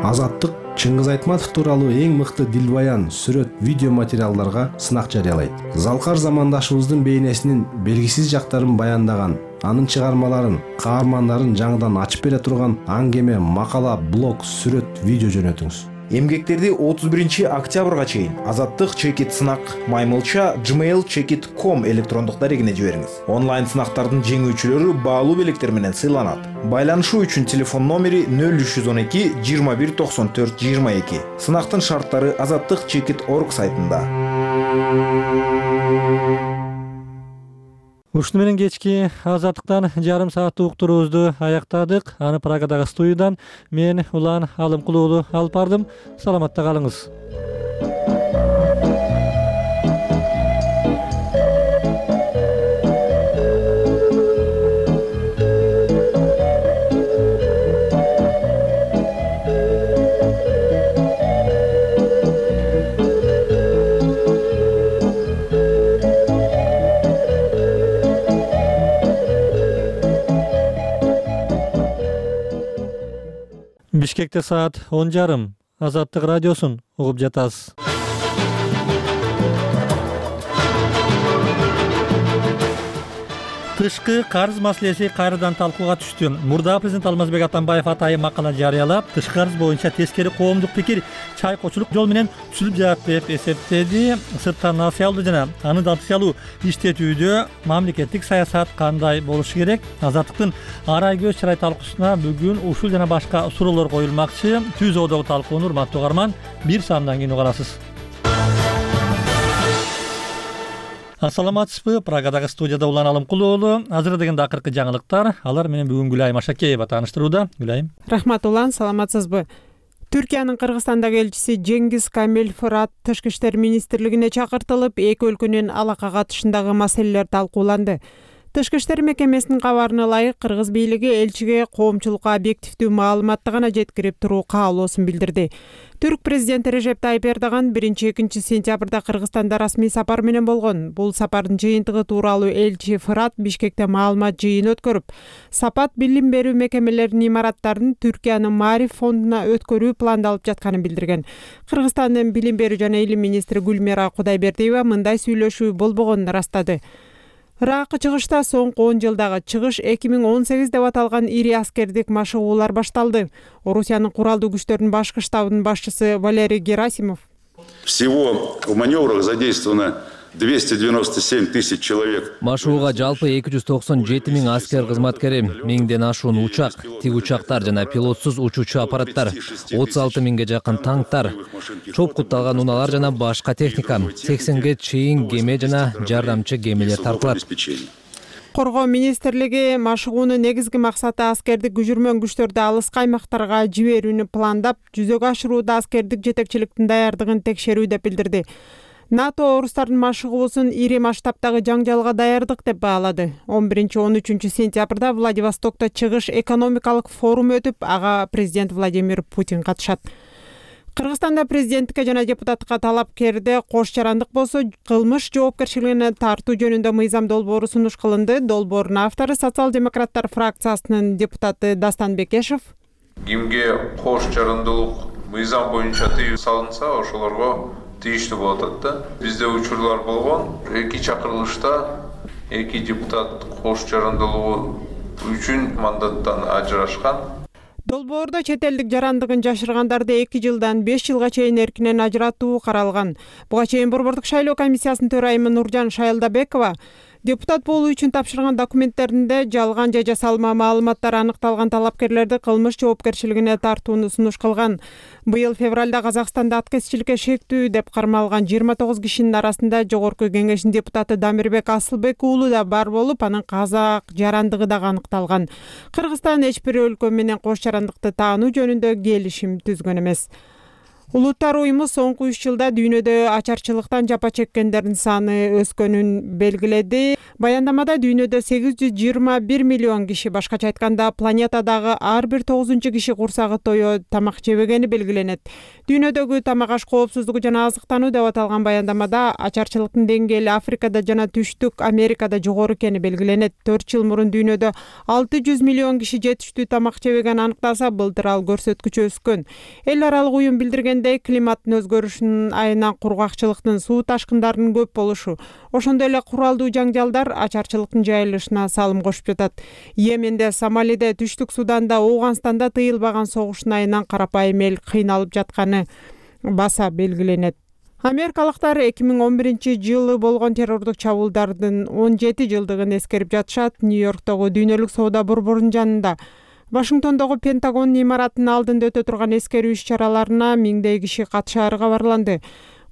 Азаттык Чыңгыз Айтматов тууралуу эң мыкты дилбаян, сүрөт, видео материалдарга сынак жарыялайт. Залкар замандашыбыздын бейнесинин белгисиз жактарын баяндаган, анын чыгармаларын, каармандарын жаңыдан ачып бере турган аңгеме, макала, блог, сүрөт, видео жөнөтүңүз. Эмгектерди отуз биринчи октябрга чейин Азаттык чекит сынак маймылча gmail чекит точка ком электрондук дарегине жибериңиз. Онлайн сынактардын жеңүүчүлөрү баалуу белектер менен сыйланат. Байланышуу үчүн телефон номери нөл үч жүз он эки жыйырма бир токсон төрт жыйырма эки. Сынактын шарттары азаттык чекит точка орг сайтында. Ушуну менен кечки азаттыктан жарым сааттык уктуруубузду аяктадык. Аны Прагадагы студиядан мен Улан Алымкул уулу алып бардым. Саламатта калыңыз. Бишкекте саат он жарым. Азаттык радиосун угуп жатасыз. Тышкы карыз маселеси кайрадан талкууга түштү. Мурда президент Алмазбек Атамбаев атайын макала жарыялап, тышкы карыз боюнча тескери коомдук пикир чайкоочулук жол менен түзүлүп жатат деп эсептеди. Сырттан насыя алуу жана аны датыялуу иштетүүдө мамлекеттик саясат кандай болушу керек? Азаттыктын арай көз чырай талкуусуна бүгүн ушул жана башка суроолор коюлмакчы. Түз одогу талкууну урматтуу угарман, бир саамдан кийин угарасыз. Ассаламатсызбы? Прагадагы студияда Улан Алымкул уулу. Азыр дегенде акыркы жаңылыктар. Алар менен бүгүн Гүлайым Ашакеева тааныштырууда. Гүлайым. Рахмат Улан, саламатсызбы? Түркиянын Кыргызстандагы элчиси Жеңгиз Камил Фырат Тышкы иштер министрлигине чакыртылып, эки өлкөнүн алака катышындагы маселелер талкууланды. Тышкы иштер мекемесинин кабарына ылайык, кыргыз бийлиги элчиге коомчулукка объективдүү маалыматты гана жеткирип туруу каалоосун билдирди. Түрк президенти Режеп Тайип Эрдоган биринчи-экинчи сентябрда Кыргызстанда расмий сапар менен болгон. Бул сапардын жыйынтыгы тууралуу элчи Фырат Бишкекте маалымат жыйын өткөрүп, сапат билим берүү мекемелеринин имараттарын Түркиянын Маариф фондуна өткөрүү пландалып жатканын билдирген. Кыргызстандын билим берүү жана илим министри Гүлмира Кудайбердиева мындай сүйлөшүү болбогонун ырастады. Ыракы чыгышта соңку он жылдагы чыгыш эки миң он сегиз деп аталган ири аскердик машыгуулар башталды. Орусиянын куралдуу күчтөрүнүн башкы штабынын башчысы Валерий Герасимов. Всего в маневрах задействовано двести девяносто семь тысяч человек. Машууга жалпы эки жүз токсон жети миң аскер кызматкери, миңден ашуун учак, тик учактар жана пилотсуз учуучу аппараттар, отуз алты миңге жакын танктар, чопкутталган унаалар жана башка техника, сексенге чейин кеме жана жардамчы кемелер тартылат. Коргоо министрлиги машыгуунун негизги максаты аскердик күжүрмөн күчтөрдү алыскы аймактарга жиберүүнү пландап, жүзөгө ашырууда аскердик жетекчиликтин даярдыгын текшерүү деп билдирди. НАТО орустардын машыгуусун ири масштабтагы жаңжалга даярдык деп баалады. он биринчи он үчүнчү сентябрда Владивостокто чыгыш экономикалык форум өтүп, ага президент Владимир Путин катышат. Кыргызстанда президенттикке жана депутаттыкка талапкерде кош жарандык болсо, кылмыш жоопкерчилигине тартуу жөнүндө мыйзам долбоору сунуш кылынды. Долбоордун автору социал-демократтар фракциясынын депутаты Дастан Бекешев. Кимге кош жарандылык мыйзам боюнча тыюу салынса, ошолорго тийиштүү болот да. Бизде учурлар болгон. Эки чакырылышта эки депутат кош жарандылыгы үчүн мандаттан ажырашкан. Долбоордо чет элдик жарандыгын жашыргандарды эки жылдан беш жылга чейин эркинен ажыратуу каралган. Буга чейин Борбордук шайлоо комиссиясынын төрайымы Нуржан Шайылдабекова депутат болуу үчүн тапшырган документтеринде жалган же жасалма маалыматтар аныкталган талапкерлерди кылмыш жоопкерчилигине тартууну сунуш кылган. Быйыл февралда Казакстанда аткезчиликке шектүү деп кармалган жыйырма тогуз кишинин арасында Жогорку Кеңештин депутаты Дамирбек Асылбек уулу да бар болуп, анын казак жарандыгы дагы аныкталган. Кыргызстан эч бир өлкө менен кош жарандыкты таануу жөнүндө келишим түзгөн эмес. Улуттар уюму соңку үч жылда дүйнөдө ачарчылыктан жапа чеккендердин саны өскөнүн белгиледи. Баяндамада дүйнөдө сегиз жүз жыйырма бир миллион киши, башкача айтканда планетадагы ар бир тогузунчу киши курсагы тойо тамак жебегени белгиленет. Дүйнөдөгү тамак аш коопсуздугу жана азыктануу деп аталган баяндамада ачарчылыктын деңгээли Африкада жана Түштүк Америкада жогору экени белгиленет. төрт жыл мурун дүйнөдө алты жүз миллион киши жетиштүү тамак жебеген аныкталса, былтыр ал көрсөткүч өскөн. Эл аралык уюм билдирген климаттын өзгөрүшүнүн айынан кургакчылыктын, суу ташкындарынын көп болушу, ошондой эле куралдуу жаңжалдар ачарчылыктын жайылышына салым кошуп жатат. Йеменде, Сомалиде, Түштүк Суданда, Ооганстанда тыйылбаган согуштун айынан карапайым эл кыйналып жатканы баса белгиленет. Америкалыктар эки миң он биринчи жылы болгон террордук чабуулдардын он жети жылдыгын эскерип жатышат. Нью-Йорктогу дүйнөлүк соода борборунун жанында Вашингтондогу Пентагон имаратынын алдында өтө турган эскерүү иш-чараларына миңдей киши катышаары кабарланды.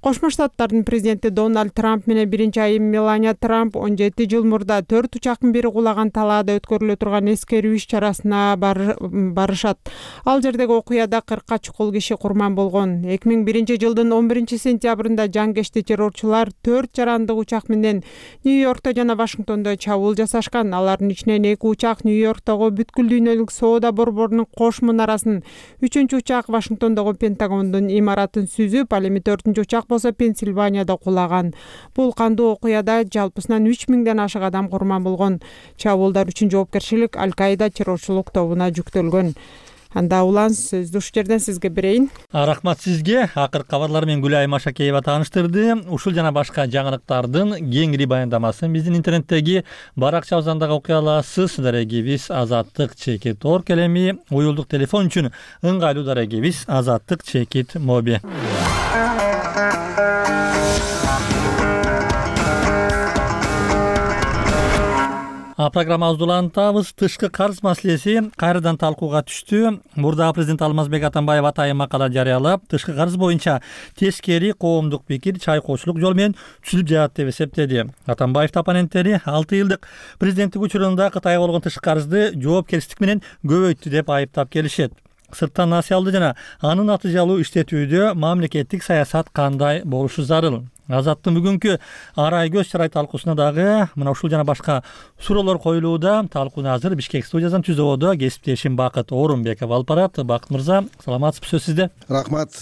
Кошмо Штаттардын президенти Дональд Трамп менен биринчи айым Мелания Трамп он жети жыл мурда төрт учактын бири кулаган талаада өткөрүлө турган эскерүү иш чарасына барышат. Ал жердеги окуяда кыркка чукул киши курман болгон. эки миң биринчи жылдын он биринчи сентябрында жангешти террорчулар төрт жарандык учак менен Нью-Йоркто жана Вашингтондо чабуул жасашкан. Алардын ичинен эки учак Нью-Йорктогу бүткүл дүйнөлүк соода борборунун кош мунарасын, үчүнчү учак Вашингтондогу Пентагондун имаратын сүзүп, ал эми төртүнчү учак болсо Пенсильванияда кулаган. Бул кандуу окуяда жалпысынан үч миңден ашык адам курман болгон. Чабуулдар үчүн жоопкерчилик Аль-Каида террорчулук тобуна жүктөлгөн. Анда улан сөздү ушул жерден сизге берейин. Рахмат сизге. Акыркы кабарлар менен Гүлай Машакеева тааныштырды. Ушул жана башка жаңылыктардын кеңири баяндамасын биздин интернеттеги баракчабыздан дагы окуй аласыз. Дарегибиз Азаттык чекит точка орг. Эми уюлдук телефон үчүн ыңгайлуу дарегибиз Азаттык чекит моби. Программабызды улантабыз. Тышкы карыз маселеси кайрадан талкууга түштү. Мурдагы президент Алмазбек Атамбаев атайын макала жарыялап, тышкы карыз боюнча тескери коомдук пикир чайкоочулук жол менен түзүлүп жатат деп эсептеди. Атамбаевдин оппоненттери алты жылдык президенттик учурунда Кытайга болгон тышкы карызды жоопкерчилик менен көбөйттү деп айыптап келишет. Сырттан насыялды жана анын натыйжалуу иштетүүдө мамлекеттик саясат кандай болушу зарыл. Азаттын бүгүнкү арай көз чарай талкуусуна дагы мына ушул жана башка суроолор коюлууда. Талкууну азыр Бишкек студиясынан түзүүдө кесиптешим Бакыт Орунбеков алып барат. Бакыт мырза, саламатсызбы, сөз сизде. Рахмат.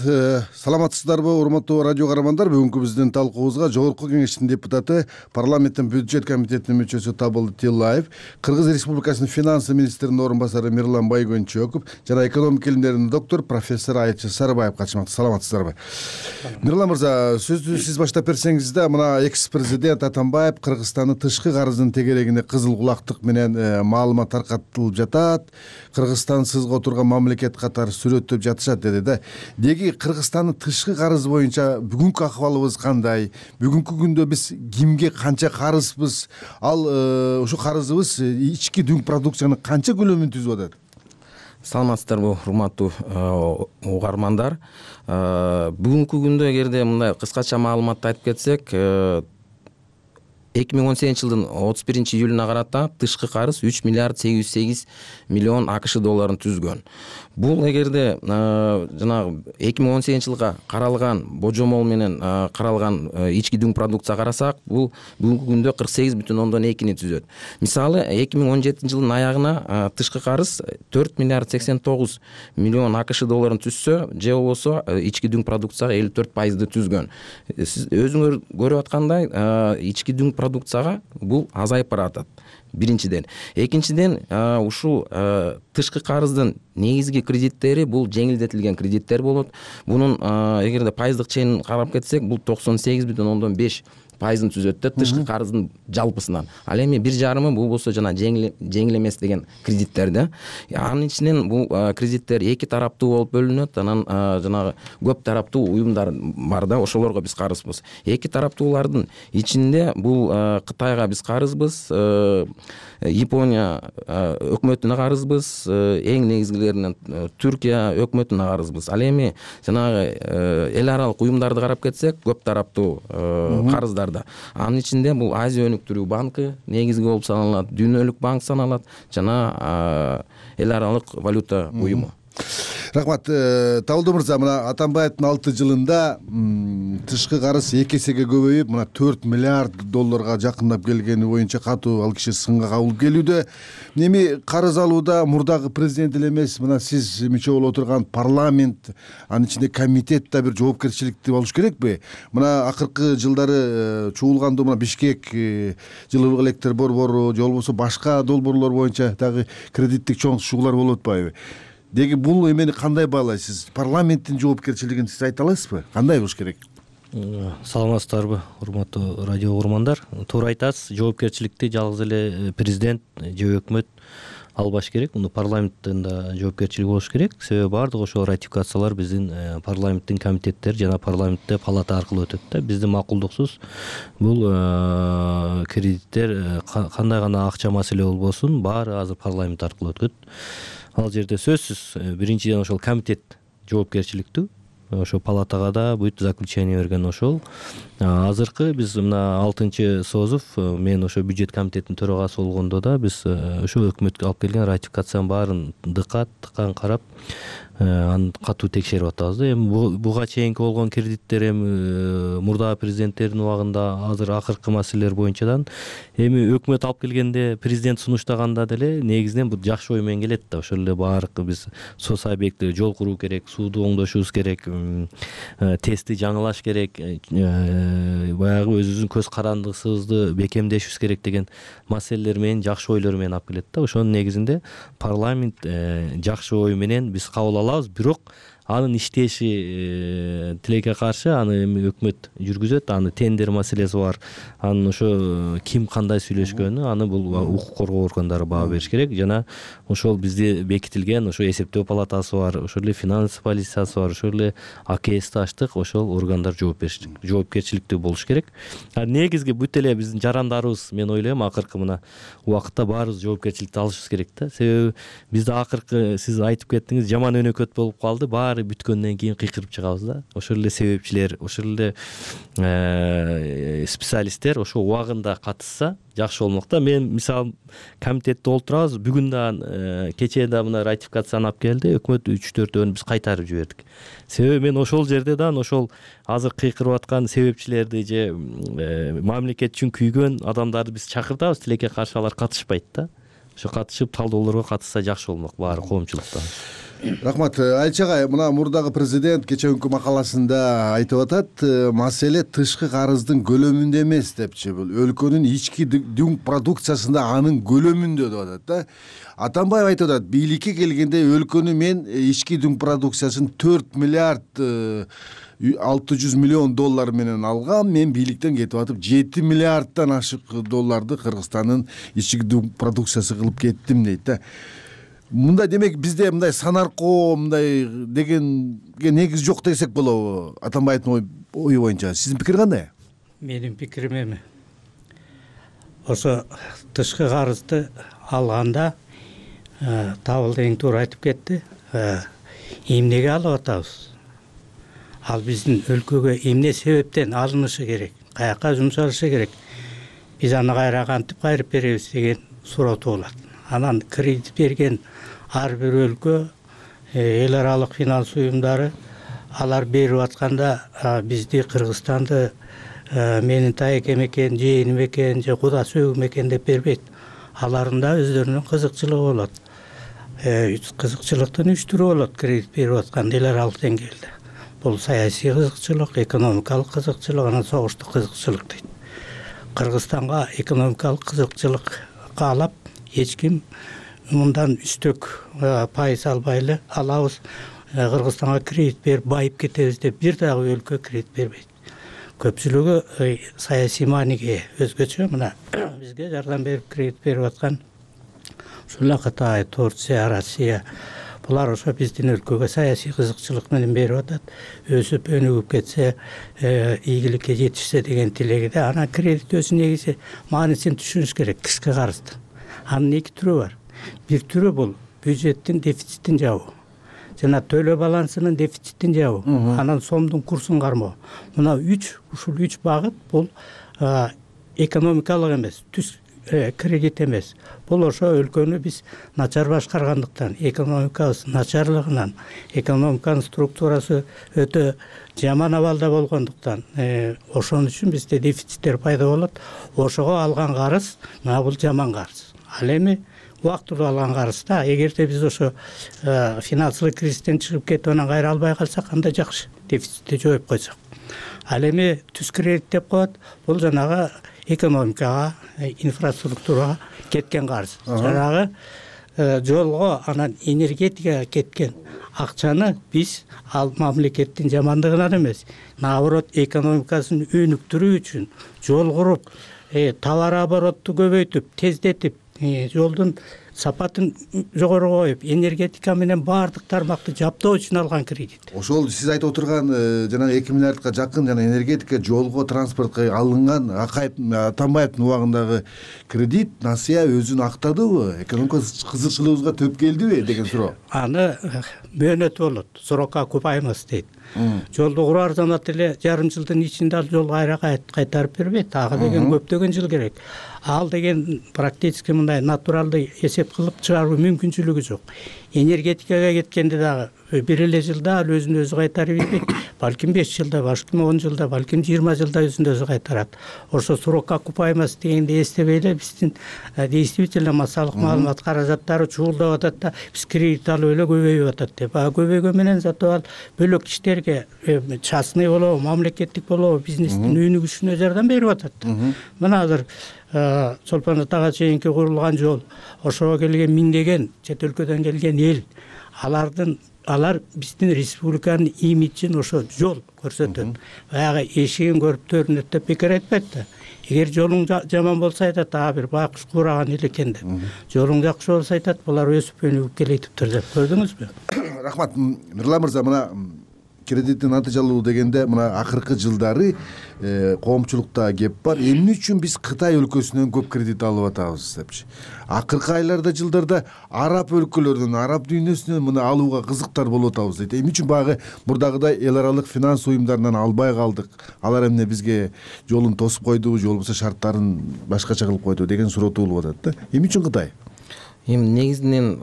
Саламатсыздарбы, урматтуу радио каармандар? Бүгүнкү биздин талкуубузга Жогорку Кеңештин депутаты, парламенттин бюджет комитетинин мүчөсү Табылды Тиллаев, Кыргыз Республикасынын финансы министринин орун басары Мирлан Байгөнчөков жана экономика илимдеринин доктор профессор Айчы Сарыбаев катышмакта. Саламатсыздарбы? Мирлан мырза, сөздү сиз баштап берсеңиз да, мына экс-президент Атамбаев Кыргызстандын тышкы карызынын тегерегине кызыл кулактык менен маалымат таркатылып жатат. Кыргызстан сызга отурган мамлекет катары сүрөттөп жатышат деди да. Деги Кыргызстандын тышкы карызы боюнча бүгүнкү акыбалыбыз кандай? Бүгүнкү күндө биз кимге канча карызбыз? Ал ушу карызыбыз ички дүң продукциянын канча көлөмүн түзүп атат? Саламатсыздарбы, урматтуу угармандар. Бүгүнкү күндө эгерде мындай кыскача маалыматты айтып кетсек, эки миң он сегизинчи жылдын отуз биринчи июлуна карата тышкы карыз үч миллиард сегиз жүз сегиз миллион АКШ долларын түзгөн. Бул эгерде жанагы эки миң он сегизинчи жылга каралган божомол менен каралган ички дүң продукция карасак, бул бүгүнкү күндө кырк сегиз бүтүн ондон экини түзөт. Мисалы, эки миң он жетинчи жылдын аягына тышкы карыз төрт миллиард сексен тогуз миллион АКШ долларын түзсө, же болбосо ички дүң продукцияга элүү төрт пайызды түзгөн. Сиз өзүңөр көрүп аткандай, ички дүң продукцияга бул азайып баратат. Биринчиден. Экинчиден, ушул тышкы карыздын негизги кредиттери бул жеңилдетилген кредиттер болот. Бунун эгерде пайыздык чегин карап кетсек, бул токсон сегиз бүтүн ондон беш пайызын түзөт да тышкы карыздын жалпысынан. Ал эми бир жарымы бул болсо жана жеңил жеңил эмес деген кредиттер да. Анын ичинен бул кредиттер эки тараптуу болуп бөлүнөт. Анан жанагы көп тараптуу уюмдар бар да, ошолорго биз карызбыз. Эки тараптуулардын ичинде бул Кытайга биз карызбыз, Япония өкмөтүнө карызбыз, эң негизгилеринен Түркия өкмөтүнө карызбыз. Ал эми жанагы эл аралык уюмдарды карап кетсек, көп тараптуу карыздар. Анын ичинде бул Азия өнүктүрүү банкы негизги болуп саналат, Дүйнөлүк банк саналат жана эл аралык валюта уюму. Рахмат. Табылды мырза, мына Атамбаевдин алты жылында тышкы карыз эки эсеге көбөйүп, мына төрт миллиард долларга жакындап келгени боюнча катуу ал киши сынга кабылып келүүдө. Эми карыз алууда мурдагы президент эле эмес, мына сиз мүчө болуп отурган парламент, анын ичинде комитет да бир жоопкерчиликти болуш керекпи? Мына акыркы жылдары чуулгандуу мына Бишкек жылуулук электр борбору, же болбосо башка долбоорлор боюнча дагы кредиттик чоң шуулар болуп атпайбы? Деги бул эмени кандай баалайсыз? Парламенттин жоопкерчилигин сиз айта аласызбы? Кандай болуш керек? Саламатсыздарбы, урматтуу радио угармандар? Туура айтасыз, жоопкерчиликти жалгыз эле президент же өкмөт албаш керек. Муну парламенттин да жоопкерчилиги болуш керек. Себеби баардык ошо ратификациялар биздин парламенттин комитеттери жана парламентте палата аркылуу өтөт да. Биздин макулдуксуз бул кредиттер кандай гана акча маселе болбосун, баары азыр парламент аркылуу өткөт. Ал жерде сөзсүз биринчиден ошол комитет жоопкерчиликтүү. ошо палатага да бүт заключение берген ошол. Азыркы биз мына алтынчы созов, мен ошо бюджет комитетинин төрагасы болгондо да биз ошо өкмөткө алып келген ратификациянын баарын дыкат тыкан карап аны катуу текшерип атабыз да. Эми буга чейинки болгон кредиттер эми мурдагы президенттердин убагында азыр акыркы маселелер боюнчадан эми өкмөт алып келгенде президент сунуштаганда деле негизинен бул жакшы ой менен келет да. Ошол эле баардык биз соц объекти жол куруу керек, сууду оңдошубуз керек, тести жаңылаш керек, баягы өзүбүздүн көз карандысыбызды бекемдешибиз керек деген маселелер менен жакшы ойлор менен алып келет да. Ошонун негизинде парламент жакшы ой менен биз кабыл алабыз, бирок анын иштеши тилекке каршы аны эми өкмөт жүргүзөт. Аны тендер маселеси бар, анын ошо ким кандай сүйлөшкөнү аны бул укук коргоо органдары баа бериш керек. Жана ошол бизде бекитилген ошо эсептөө палатасы бар, ошол эле финанс полициясы бар, ошол эле А К Сти ачтык, ошол органдар жоопкерчиликтүү болуш керек. Негизги бүт эле биздин жарандарыбыз, мен ойлойм, акыркы мына убакытта баарыбыз жоопкерчиликти алышыбыз керек да. Себеби бизде акыркы сиз айтып кеттиңиз, жаман өнөкөт болуп калды, баары бүткөндөн кийин кыйкырып чыгабыз да. Ошол эле себепчилер, ошол эле специалисттер ошо убагында катышса жакшы болмок да. Мен мисалы комитетте олтурабыз, бүгүн да кечээ да мына ратификацияны алып келди, өкмөт үч төртөөнү биз кайтарып жибердик. Себеби мен ошол жерде да ошол азыр кыйкырып аткан себепчилерди же мамлекет үчүн күйгөн адамдарды биз чакыртабыз, тилекке каршы алар катышпайт да. Ошо катышып талдоолорго катышса жакшы болмок баары коомчулукта. Рахмат. Айча агай, мына мурдагы президент кечээкүнкү макаласында айтып атат, маселе тышкы карыздын көлөмүндө эмес депчи, бул өлкөнүн ички дүң продукциясында анын көлөмүндө деп атат да. Атамбаев айтып атат, бийликке келгенде өлкөнү мен ички дүң продукциясын төрт миллиард алты жүз миллион доллар менен алгам, мен бийликтен кетип атып жети миллиарддан ашык долларды Кыргызстандын ички дүң продукциясы кылып кеттим дейт да. Мындай демек бизде мындай санаркоо мындай дегенге негиз жок десек болобу? Атамбаевдин ою боюнча сиздин пикир кандай? Менин пикирим эми ошо тышкы карызды алганда Табылды эң туура айтып кетти. Эмнеге алып атабыз? Ал биздин өлкөгө эмне себептен алынышы керек? Каяка жумшалышы керек? Биз аны кайра кантип кайрып беребиз деген суроо туулат. Анан кредит берген ар бир өлкө, эл аралык финанс уюмдары алар берип атканда бизди Кыргызстанды менин таекем экен, жээним экен, же куда сөөгүм экен деп бербейт. Алардын да өздөрүнүн кызыкчылыгы болот. Кызыкчылыктын үч түрү болот кредит берип аткан эл аралык деңгээлде. Бул саясий кызыкчылык, экономикалык кызыкчылык, анан согуштук кызыкчылык дейт. Кыргызстанга экономикалык кызыкчылык каалап эч ким мындан үстөк пайыз албай эле алабыз, Кыргызстанга кредит берип байып кетебиз деп бир дагы өлкө кредит бербейт. Көпчүлүгү саясий мааниге өзгөчө. Мына бизге жардам берип кредит берип аткан ушул Кытай, Турция, Россия, булар ошо биздин өлкөгө саясий кызыкчылык менен берип атат. Өсүп өнүгүп кетсе, ийгиликке жетишсе деген тилегиде. Анан кредит өзү негизи маанисин түшүнүш керек. Тышкы карызды. Анын эки түрү бар. Бир түрү бул бюджеттин дефицитин жабуу жана төлөө балансынын дефицитин жабуу, анан сомдун курсун кармоо. Мына үч ушул үч багыт бул экономикалык эмес, түз кредит эмес. Бул ошо өлкөнү биз начар башкаргандыктан, экономикабыз начарлыгынан, экономиканын структурасы өтө жаман абалда болгондуктан, ошон үчүн бизде дефициттер пайда болот. Ошого алган карыз, мына бул жаман карыз. Ал эми убактылуу алган карызда, эгерде биз ошо финансылык кризистен чыгып кетип анан кайра албай калсак, анда жакшы, дефицитти жоюп койсок. Ал эми түз кредит деп коет, бул жанагы экономикага, инфраструктурага кеткен карыз. Жанагы жолго, анан энергетикага кеткен акчаны биз ал мамлекеттин жамандыгынан эмес, наоборот экономикасын өнүктүрүү үчүн жол куруп, товар оборотту көбөйтүп, тездетип, жолдун сапатын жогору коюп энергетика менен баардык тармакты жаптоо үчүн алган кредит. Ошол сиз айтып отурган жанагы эки миллиардка жакын жана энергетика, жолго, транспортко алынган Акаев Атамбаевдин убагындагы кредит насыя өзүн актадыбы, экономика кызыкчылыгыбызга төп келдиби деген суроо. Аны мөөнөтү болот, срокко купаймыз дейт. Жолду курар замат эле жарым жылдын ичинде ал жол кайра кайтарып бербейт. Ага деген көптөгөн жыл керек. Ал деген практически мындай натуралдуу эсеп кылып чыгаруу мүмкүнчүлүгү жок. Энергетикага кеткенде дагы бир эле жылда ал өзүн өзү кайтарып бербейт. Балким беш жылда, балким он жылда, балким жыйырма жылда өзүн өзү кайтарат. Ошо срокко окупаемость дегенди эстебей эле биздин действительно массалык маалымат каражаттары чуулдап атат да, биз кредит алып эле көбөйүп атат деп. А көбөйгөн менен зато ал бөлөк иштерге частный болобу, мамлекеттик болобу бизнестин өнүгүшүнө жардам берип атат. Мына азыр Чолпон Атага чейинки курулган жол, ошого келген миңдеген чет өлкөдөн келген эл, алардын алар биздин республиканын имиджин ошо жол көрсөтөт. Баягы эшигин көрүп төрүнөт деп бекер айтпайт да. Эгер жолуң жаман болсо айтат, а бир байкуш кураган эл экен деп. Жолуң жакшы болсо айтат, булар өсүп өнүгүп келейтиптир деп. Көрдүңүзбү? Рахмат. Нурлан мырза, мына кредиттин натыйжалуу дегенде мына акыркы жылдары коомчулукта кеп бар. Эмне үчүн биз Кытай өлкөсүнөн көп кредит алып атабыз депчи. Акыркы айларда, жылдарда араб өлкөлөрүнөн, араб дүйнөсүнөн мына алууга кызыктар болуп атабыз дейт. Эмне үчүн баягы мурдагыдай эл аралык финанс уюмдарынан албай калдык? Алар эмне бизге жолун тосуп койдубу, же болбосо шарттарын башкача кылып койдубу деген суроо туулуп атат да. Эмне үчүн Кытай? Эми негизинен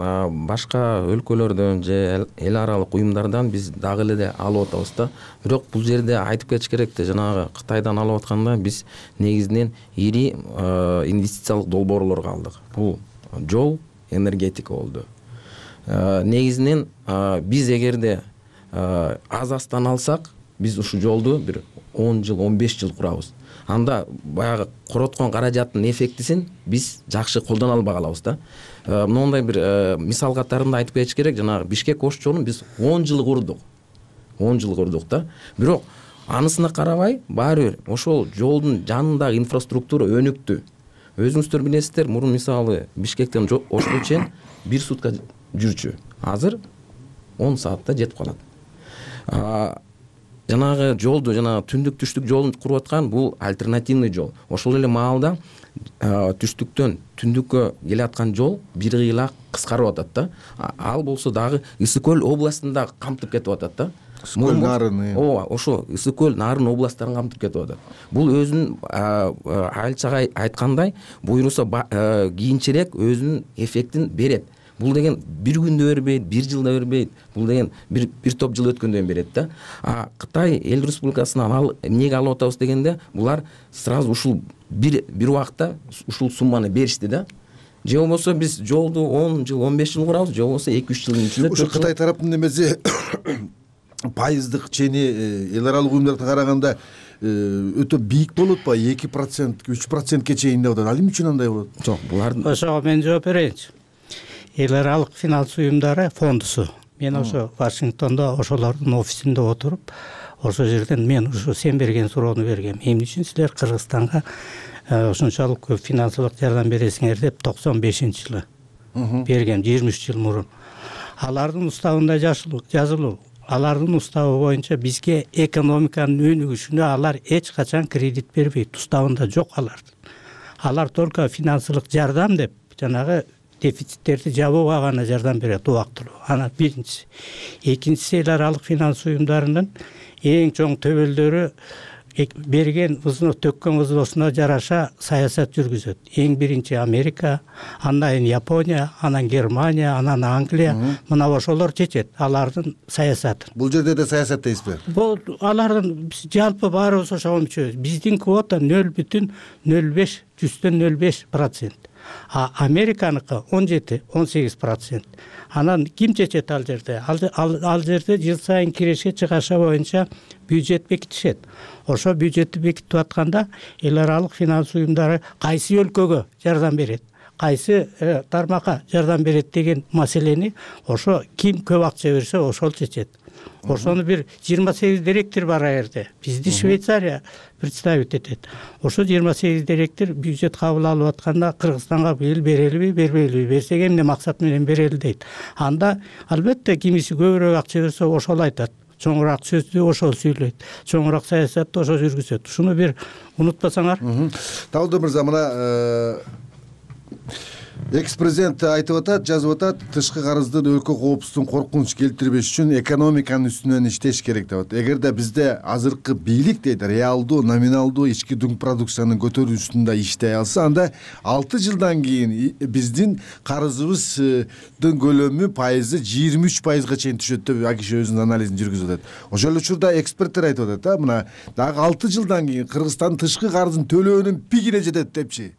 башка өлкөлөрдөн же эл аралык уюмдардан биз дагы эле алып атабыз да. Бирок бул жерде айтып кетиш керек да, жанагы Кытайдан алып атканда биз негизинен ири инвестициялык долбоорлорго алдык. Бул жол, энергетика болду. Негизинен биз эгерде аз-аздан алсак, биз ушул жолду бир он жыл, он беш жыл курабыз. Анда баягы короткон каражаттын эффектисин биз жакшы колдоно албай калабыз да. Мондай бир мисал катарында айтып кетиш керек, жанагы Бишкек-Ош жолун биз он жыл курдук. он жыл курдук да. Бирок анысына карабай, баары бир ошол жолдун жанындагы инфраструктура өнүктү. Өзүңүздөр билесиздер, мурун мисалы Бишкектен Ошко чейин бир сутка жүрчү. Азыр он саатта жетип калат. Жанагы жолду, жана түндүк түштүк жолун куруп аткан бул альтернативный жол. Ошол эле маалда түштүктөн түндүккө келе аткан жол бир кыйла кыскарып атат да. Ал болсо дагы Ысык көл областында камтып кетип атат да. Ысык көл нарын. Ооба, ошо Ысык көл нарын областтарын камтып кетип атат. Бул өзүнүн айылчага айткандай, буйруса кийинчерээк өзүнүн эффектин берет. Бул деген бир күндө бербейт, бир жылда бербейт. Бул деген бир бир топ жыл өткөндөн берет да. А Кытай эл республикасынан ал эмнеге алып атабыз дегенде, булар сразу ушул бир бир убакта ушул сумманы беришти да. Же болбосо биз жолду он жыл, он беш жыл курабыз, же болбосо эки үч жылдын ичинде. Ошо Кытай тараптын немеси пайыздык чени эл аралык уюмдарга караганда өтө бийик болот ба? эки процент, үч процентке чейин деп атат. Ал эмне үчүн андай болот? Жок, булардын ошого мен жооп берейинчи. Эл аралык финанс уюмдары фондусу. Мен ошо Вашингтондо ошолордун офисинде отуруп, ошол жерден мен ушу сен берген суроону бергем. Эмне үчүн силер Кыргызстанга ошончолук көп финансылык жардам бересиңер деп токсон бешинчи жылы бергем, жыйырма үч жыл мурун. Алардын уставында жазылуу. Алардын уставы боюнча бизге экономиканын өнүгүшүнө алар эч качан кредит бербейт. Уставында жок алардын. Алар только финансылык жардам деп жанагы дефициттерди жабууга гана жардам берет убактылуу. Ана биринчиси. Экинчиси, эл аралык финанс уюмдарынын эң чоң төбөлдөрү берген взнос, төккөн взносуна жараша саясат жүргүзөт. Эң биринчи Америка, андан кийин Япония, анан Германия, анан Англия. Мына ошолор чечет алардын саясатын. Бул жерде да саясат дейсизби? Бул алардын жалпы баарыбыз ошого мүчөбүз. Биздин квота нөл бүтүн нөл беш жүздөн нөл беш процент. А Американыкы он жети он сегиз процент. Анан ким чечет ал жерде? Ал, ал, ал жерде жыл сайын киреше чыгаша боюнча бюджет бекитишет. Ошо бюджетти бекитип атканда эл аралык финанс уюмдары кайсы өлкөгө жардам берет, кайсы тармакка жардам берет деген маселени ошо ким көп акча берсе ошол чечет. ошону бир жыйырма сегиз директор бар а жерде. Бизди Швейцария представить этет. Ошо жыйырма сегиз директор бюджет кабыл алып атканда Кыргызстанга быйыл берелиби, бербейлиби, берсек эмне максат менен берели дейт. Анда албетте кимиси көбүрөөк акча берсе ошол айтат. Чоңураак сөздү ошол сүйлөйт. Чоңураак саясатты ошо жүргүзөт. Ушуну бир унутпасаңар. Табылды мырза, мына экс президент айтып атат, жазып атат, тышкы карыздын өлкө коопсуздугун коркунуч келтирбеш үчүн экономиканын үстүнөн иштеш керек деп атат. Эгерде бизде азыркы бийлик дейт реалдуу, номиналдуу ички дүң продукцияны көтөрүү үстүндө иштей алса, анда алты жылдан кийин биздин карызыбыздын көлөмү пайызы жыйырма үч пайызга чейин түшөт деп ал киши өзүнүн анализин жүргүзүп атат. Ошол учурда эксперттер айтып атат, мына дагы алты жылдан кийин Кыргызстандын тышкы карызын төлөөнүн пигине жетет депчи.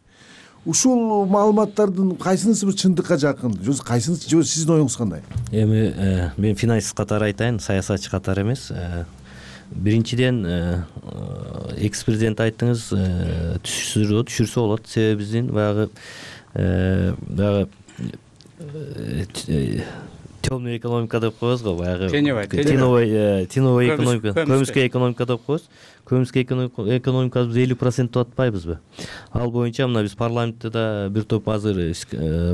Ушул маалыматтардын кайсынысы бир чындыкка жакын? Же кайсынысы, же сиздин оюңуз кандай? Эми мен финансист катары айтайын, саясатчы катары эмес. Биринчиден экс президент айттыңыз, түшүрсө түшүрсө болот. Себеби биздин баягы баягы темный экономика деп коебуз го, баягы теневой теневой экономика, көмүскө экономика деп коебуз. Көмүскө экономикабыз элүү процент деп атпайбызбы? Ал боюнча мына биз парламентте да бир топ азыр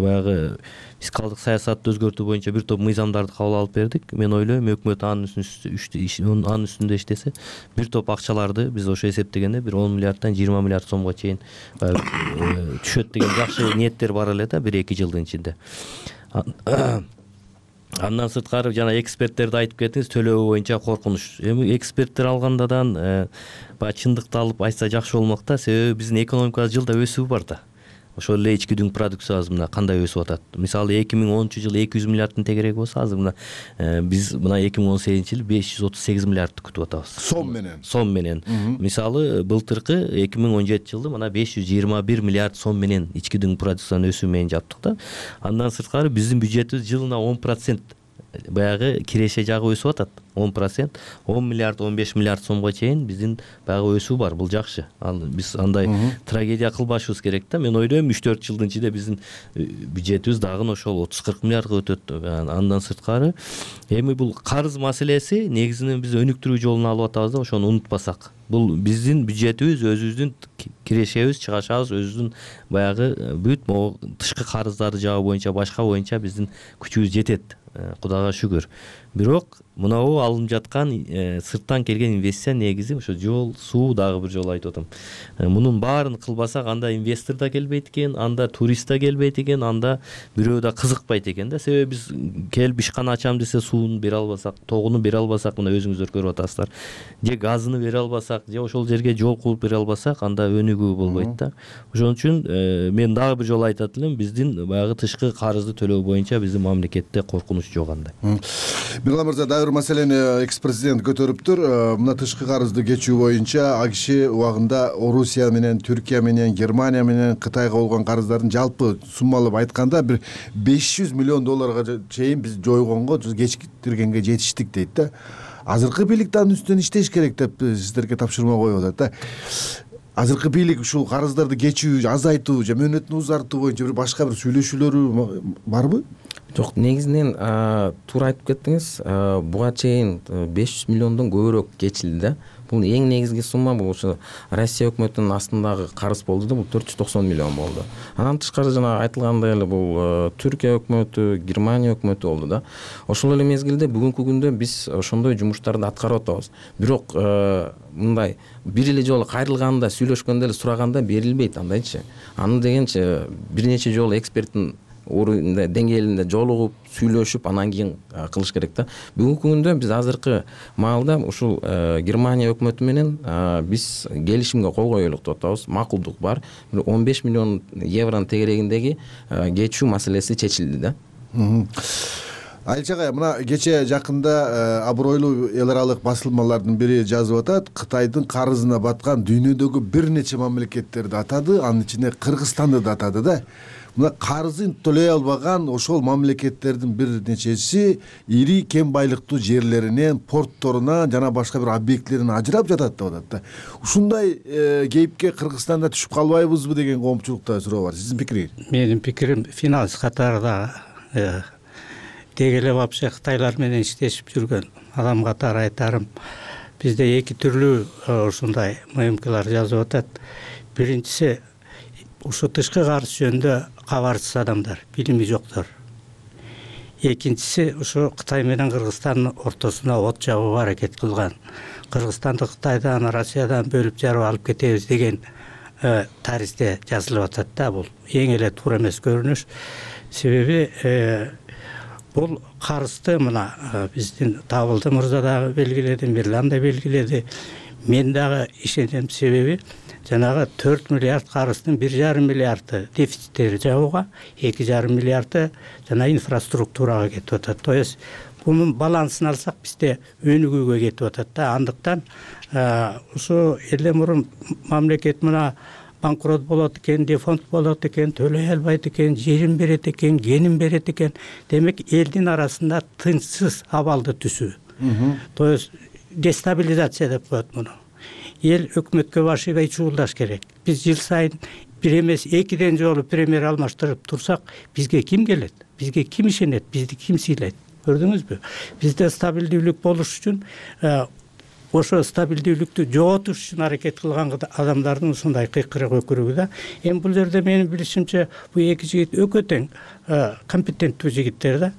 баягы фискалдык саясатты өзгөртүү боюнча бир топ мыйзамдарды кабыл алып бердик. Мен ойлойм, өкмөт анын үстүндө анын үстүндө иштесе, бир топ акчаларды биз ошо эсептегенде бир он миллиарддан жыйырма миллиард сомго чейин түшөт деген жакшы ниеттер бар эле да бир эки жылдын ичинде. Андан сырткары жана эксперттерди айтып кеттиңиз, төлөө боюнча коркунуч. Эми эксперттер алгандадан баягы чындыкты алып айтса жакшы болмок да, себеби биздин экономикабыз жылда өсүү бар да. Ошол эле ички дүң продукциябыз мына кандай өсүп атат. Мисалы эки миң онунчу жылы эки жүз миллиарддын тегереги болсо, азыр мына биз мына эки миң он сегизинчи жылы беш жүз отуз сегиз миллиардты күтүп атабыз. Сом менен. Сом менен. Мисалы былтыркы эки миң он жетинчи жылы мына беш жүз жыйырма бир миллиард сом менен ички дүң продукциянын өсүү менен жаптык да. Андан сырткары биздин бюджетибиз жылына он процент баягы киреше жагы өсүп атат. он процент, он миллиард, он беш миллиард сомго чейин биздин баягы өсүү бар. Бул жакшы. Ал биз андай трагедия кылбашыбыз керек да. Мен ойлойм үч төрт жылдын ичинде биздин бюджетибиз дагы ошол отуз кырк миллиардга өтөт. Андан сырткары эми бул карыз маселеси негизинен биз өнүктүрүү жолун алып атабыз да, ошону унутпасак. Бул биздин бюджетибиз, өзүбүздүн кирешебиз, чыгашабыз, өзүбүздүн баягы бүт могу тышкы карыздарды жабуу боюнча, башка боюнча биздин күчүбүз жетет. Кудайга шүгүр. Бирок мынабу алынып жаткан сырттан келген инвестиция негизи ошо жол, суу, дагы бир жолу айтып атам. Мунун баарын кылбасак, анда инвестор да келбейт экен, анда турист да келбейт экен, анда бирөө да кызыкпайт экен да. Себеби биз келип ишкана ачам десе сууну бере албасак, тогуну бере албасак, мына өзүңүздөр көрүп атасыздар. Же газыны бере албасак, же ошол жерге жол кылып бере албасак, анда өнүгүү болбойт да. Ошон үчүн мен дагы бир жолу айтат элем, биздин баягы тышкы карызды төлөө боюнча биздин мамлекетте коркунуч жок андай. Мирлан мырза, дагы бир маселени экс президент көтөрүптүр. Мына тышкы карызды кечүү боюнча ал киши убагында Орусия менен, Түркия менен, Германия менен Кытайга болгон карыздардын жалпы суммалап айтканда бир беш жүз миллион долларга чейин биз жойгонго, кечиктиргенге жетиштик дейт да. Азыркы бийлик анын үстүнөн иштеш керек деп сиздерге тапшырма коюп атат да. Азыркы бийлик ушул карыздарды кечүү, азайтуу же мөөнөтүн узартуу боюнча бир башка бир сүйлөшүүлөрү барбы? Жок, негизинен туура айтып кеттиңиз. Буга чейин беш жүз миллиондон көбүрөөк кечилди да. Бул эң негизги сумма, бул ошо Россия өкмөтүнүн астындагы карыз болду да, бул төрт жүз токсон миллион болду. Анан тышкары жана айтылгандай эле бул Түркия өкмөтү, Германия өкмөтү болду да. Ошол эле мезгилде бүгүнкү күндө биз ошондой жумуштарды аткарып атабыз. Бирок мындай бир эле жолу кайрылганда, сүйлөшкөндө эле сураганда берилбейт андайчы. Аны дегенче бир нече жолу эксперттин орунда деңгээлинде жолугуп, сүйлөшүп, анан кийин кылыш керек да. Бүгүнкү күндө биз азыркы маалда ушул Германия өкмөтү менен биз келишимге кол коелук деп атабыз. Макулдук бар. он беш миллион евронун тегерегиндеги кечүү маселеси чечилди да. Айылча агай, мына кече жакында абройлуу эл аралык басылмалардын бири жазып атат, Кытайдын карызына баткан дүйнөдөгү бир нече мамлекеттерди атады, анын ичинде Кыргызстанды да атады да. Мына карызын төлөй албаган ошол мамлекеттердин бир нечеси ири кем байлыктуу жерлеринен, портторунан жана башка бир объектилерин ажырап жатат деп атат да. Ушундай кейипке Кыргызстанда түшүп калбайбызбы деген коомчулукта суроо бар. Сиздин пикириңиз? Менин пикирим, финанс катарында деги эле вообще Кытайлар менен иштешип жүргөн адам катары айтарым, бизде эки түрлүү ушундай мымкалар жазып атат. Биринчиси ушу тышкы карыз жөнүндө кабарсыз адамдар, билими жоктор. Экинчиси ушу Кытай менен Кыргызстандын ортосуна от жагууга аракет кылган. Кыргызстанды Кытайдан, Россиядан бөлүп жарып алып кетебиз деген тарихте жазылып атат да. Бул эң эле туура эмес көрүнүш. Себеби бул карызды мына биздин Табылды мырза дагы белгиледи, Мирлан да белгиледи. Мен дагы ишенем, себеби жанагы төрт миллиард карыздын бир жарым миллиарды дефициттери жабууга, эки жарым миллиарды жана инфраструктурага кетип атат. То есть бунун балансын алсак бизде өнүгүүгө кетип атат да. Андыктан ушу эле мурун мамлекет мына банкрот болот экен, дефолт болот экен, төлөй албайт экен, жерин берет экен, кенин берет экен. Демек элдин арасында тынчсыз абалды түзүү. То есть дестабилизация деп коет муну. Эл өкмөткө баш ийбей чуулдаш керек. Биз жыл сайын бир эмес экиден жолу премьер алмаштырып турсак, бизге ким келет? Бизге ким ишенет? Бизди ким сыйлайт? Көрдүңүзбү? Бизде стабилдүүлүк болуш үчүн ошо стабилдүүлүктү жоготуш үчүн аракет кылган адамдардын ушундай кыйкырык өкүрүгү да. Эми бул жерде менин билишимче бул эки жигит өкө тең компетенттүү жигиттер да.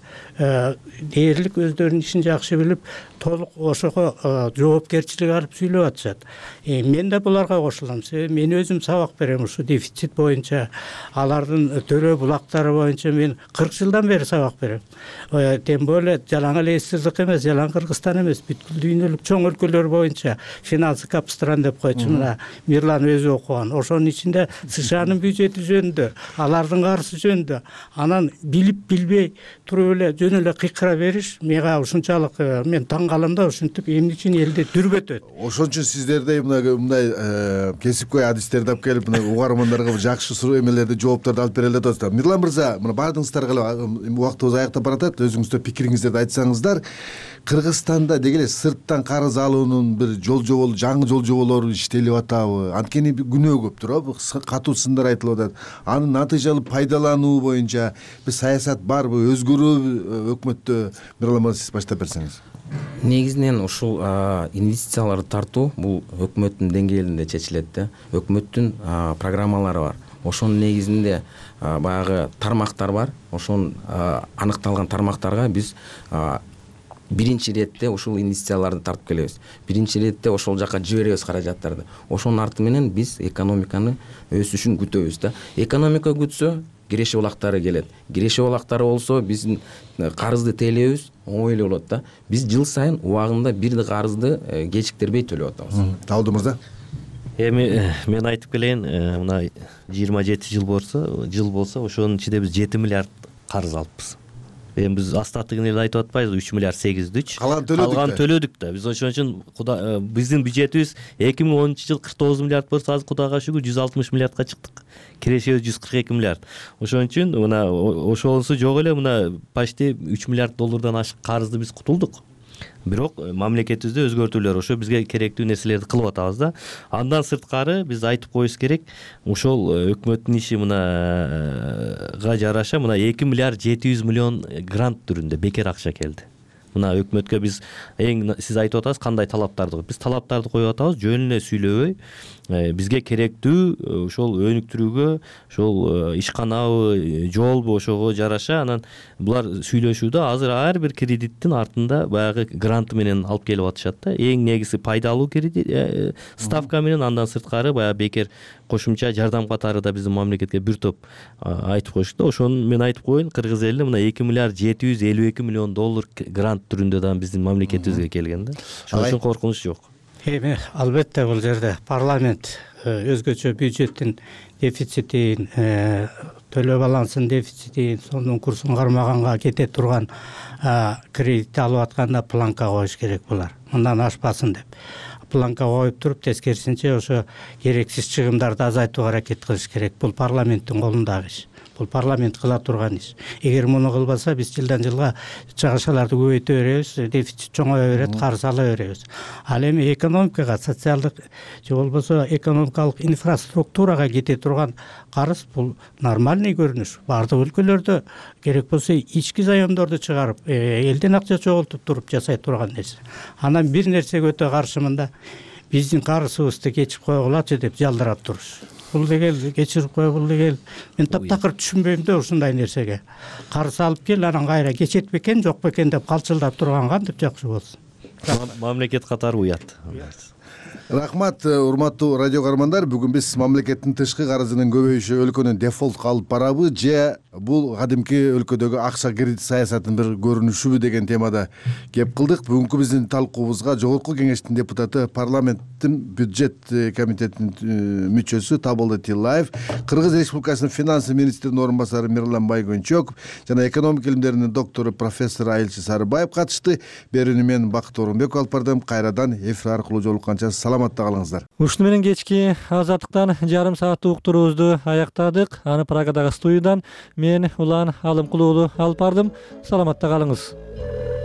Дээрлик өздөрүнүн ишин жакшы билип, толук ошого жоопкерчилик алып сүйлөп атышат. Мен да буларга кошулам. Себеби мен өзүм сабак берем ушу дефицит боюнча, алардын төлөө булактары боюнча мен кырк жылдан бери сабак берем. Тем более жалаң эле эсирлик эмес, жалаң Кыргызстан эмес, бүткүл дүйнөлүк чоң өлкөлөр боюнча финансы капстран деп койчу мына Мирлан өзү окуган. Ошонун ичинде СШАнын бюджети жөнүндө, алардын карызы жөнүндө, анан билип билбей туруп эле жөн эле кыйкыра бериш мага ушунчалык мен таң калам да. Ушинтип эмне үчүн элди дүрбөтөт? Ошон үчүн сиздердей мындай кесипкөй адистерди алып келип мына угармандарга жакшы суроо эмелерди, жоопторду алып берели деп атасыздар. Мирлан мырза, мына баардыгыңыздарга убактыбыз аяктап баратат. Өзүңүздөр пикириңиздерди айтсаңыздар. Кыргызстанда деги эле сырттан карыз алуунун бир жол жобол, жаңы жол жоболору иштелип атабы? Анткени күнөө көптүр, катуу сындар айтылып атат. Анын натыйжалуу пайдалануу боюнча бир саясат барбы, өзгөрүүбү өкмөттө? Мирлан мырза, сиз баштап берсеңиз. Негизинен ушул инвестицияларды тартуу бул өкмөттүн деңгээлинде чечилет да. Өкмөттүн программалары бар. Ошонун негизинде баягы тармактар бар. Ошон аныкталган тармактарга биз биринчи иретте ушул инвестицияларды тартып келебиз. Биринчи иретте ошол жака жиберебиз каражаттарды. Ошонун арты менен биз экономиканы өсүшүн күтөбүз да. Экономика күтсө, киреши булактары келет. Киреши булактары болсо, биздин карызды тейлөөбүз оңой эле болот да. Биз жыл сайын убагында бир карызды кечиктирбей төлөп атабыз. Табылды мырза. Эми мен айтып келейин, мына жыйырма жети жыл болсо, жыл болсо, ошонун ичинде биз жети миллиард карыз алыппыз. Эми биз астатыгын эле айтып атпайбызбы? үч миллиард сегиз жүз үч. Калган төлөдүк да. Биз ошон үчүн биздин бюджетибиз эки миң онунчу жыл кырк тогуз миллиард болсо, азыр Кудайга шүгүр жүз алтымыш миллиардка чыктык. Кирешебиз жүз кырк эки миллиард. Ошон үчүн мына ошонусу жок эле мына почти үч миллиард доллардан ашык карызды биз кутулдук. Бирок мамлекетибизде өзгөртүүлөр, ошо бизге керектүү нерселерди кылып атабыз да. Андан сырткары биз айтып коюш керек, ошол өкмөттүн иши мынага жараша мына эки миллиард жети жүз миллион грант түрүндө бекер акча келди. Мына өкмөткө биз эң сиз айтып атасыз кандай талаптарды коюп, биз талаптарды коюп атабыз, жөн эле сүйлөбөй, бизге керектүү ошол өнүктүрүүгө, ошол ишканабы, жолбу ошого жараша анан булар сүйлөшүүдө азыр ар бир кредиттин артында баягы грант менен алып келип атышат да. Эң негизи пайдалуу кредит ставка менен, андан сырткары баягы бекер кошумча жардам катары да биздин мамлекетке бир топ айтып коюшту да. Ошону мен айтып коеюн, кыргыз эли мына эки миллиард жети жүз элүү эки миллион доллар грант түрүндө да биздин мамлекетибизге келген да. Ошон үчүн коркунуч жок. Эми албетте бул жерде парламент өзгөчө бюджеттин дефицитин, төлөө балансынын дефицитин, сомдун курсун кармаганга кете турган кредит алып атканда планка коюш керек булар. Мындан ашпасын деп. Планка коюп туруп, тескерисинче ошо керексиз чыгымдарды азайтууга аракет кылыш керек. Бул парламенттин колундагы иш. бул парламент кыла турган иш. Эгер муну кылбаса биз жылдан жылга чыгышаларды көбөйтө беребиз, дефицит чоңое берет, карыз ала беребиз. Ал эми экономикага, социалдык же болбосо экономикалык инфраструктурага кете турган карыз бул нормальный көрүнүш. Бардык өлкөлөрдө керек болсо ички заемдорду чыгарып, элден акча чогултуп туруп жасай турган нерсе. Анан бир нерсеге өтө каршымында биздин карызыбызды кечип койгулачы деп жалдырап туруш. Бул деген кечирип кой, бул деген мен таптакыр түшүнбөйм да ушундай нерсеге. Карыз алып кел, анан кайра кечет бекен, жок бекен деп калчылдап турган кантип жакшы болсун. Мамлекет катары уят. Рахмат, урматтуу радио каармандар. Бүгүн биз мамлекеттин тышкы карызынын көбөйүшү өлкөнү дефолтко алып барабы же бул кадимки өлкөдөгү акча кредит саясатынын бир көрүнүшүбү деген темада кеп кылдык. Бүгүнкү биздин талкуубузга жогорку кеңештин депутаты, парламенттин бюджет комитетинин мүчөсү Табылды Тиллаев, Кыргыз Республикасынын финансы министринин орун басары Мирлан Байгөнчөков жана экономика илимдеринин доктору профессор Айылчы Сарыбаев катышты. Берүүнү мен Бакыт Орунбеков алып бардым. Кайрадан эфир аркылуу жолукканча саламатта калыңыздар. Ушуну менен кечки Азаттыктан жарым сааттык уктуруубузду аяктадык. Аны Прагадагы студиядан мен Улан Алымкулуулу алып бардым. Саламатта калыңыз.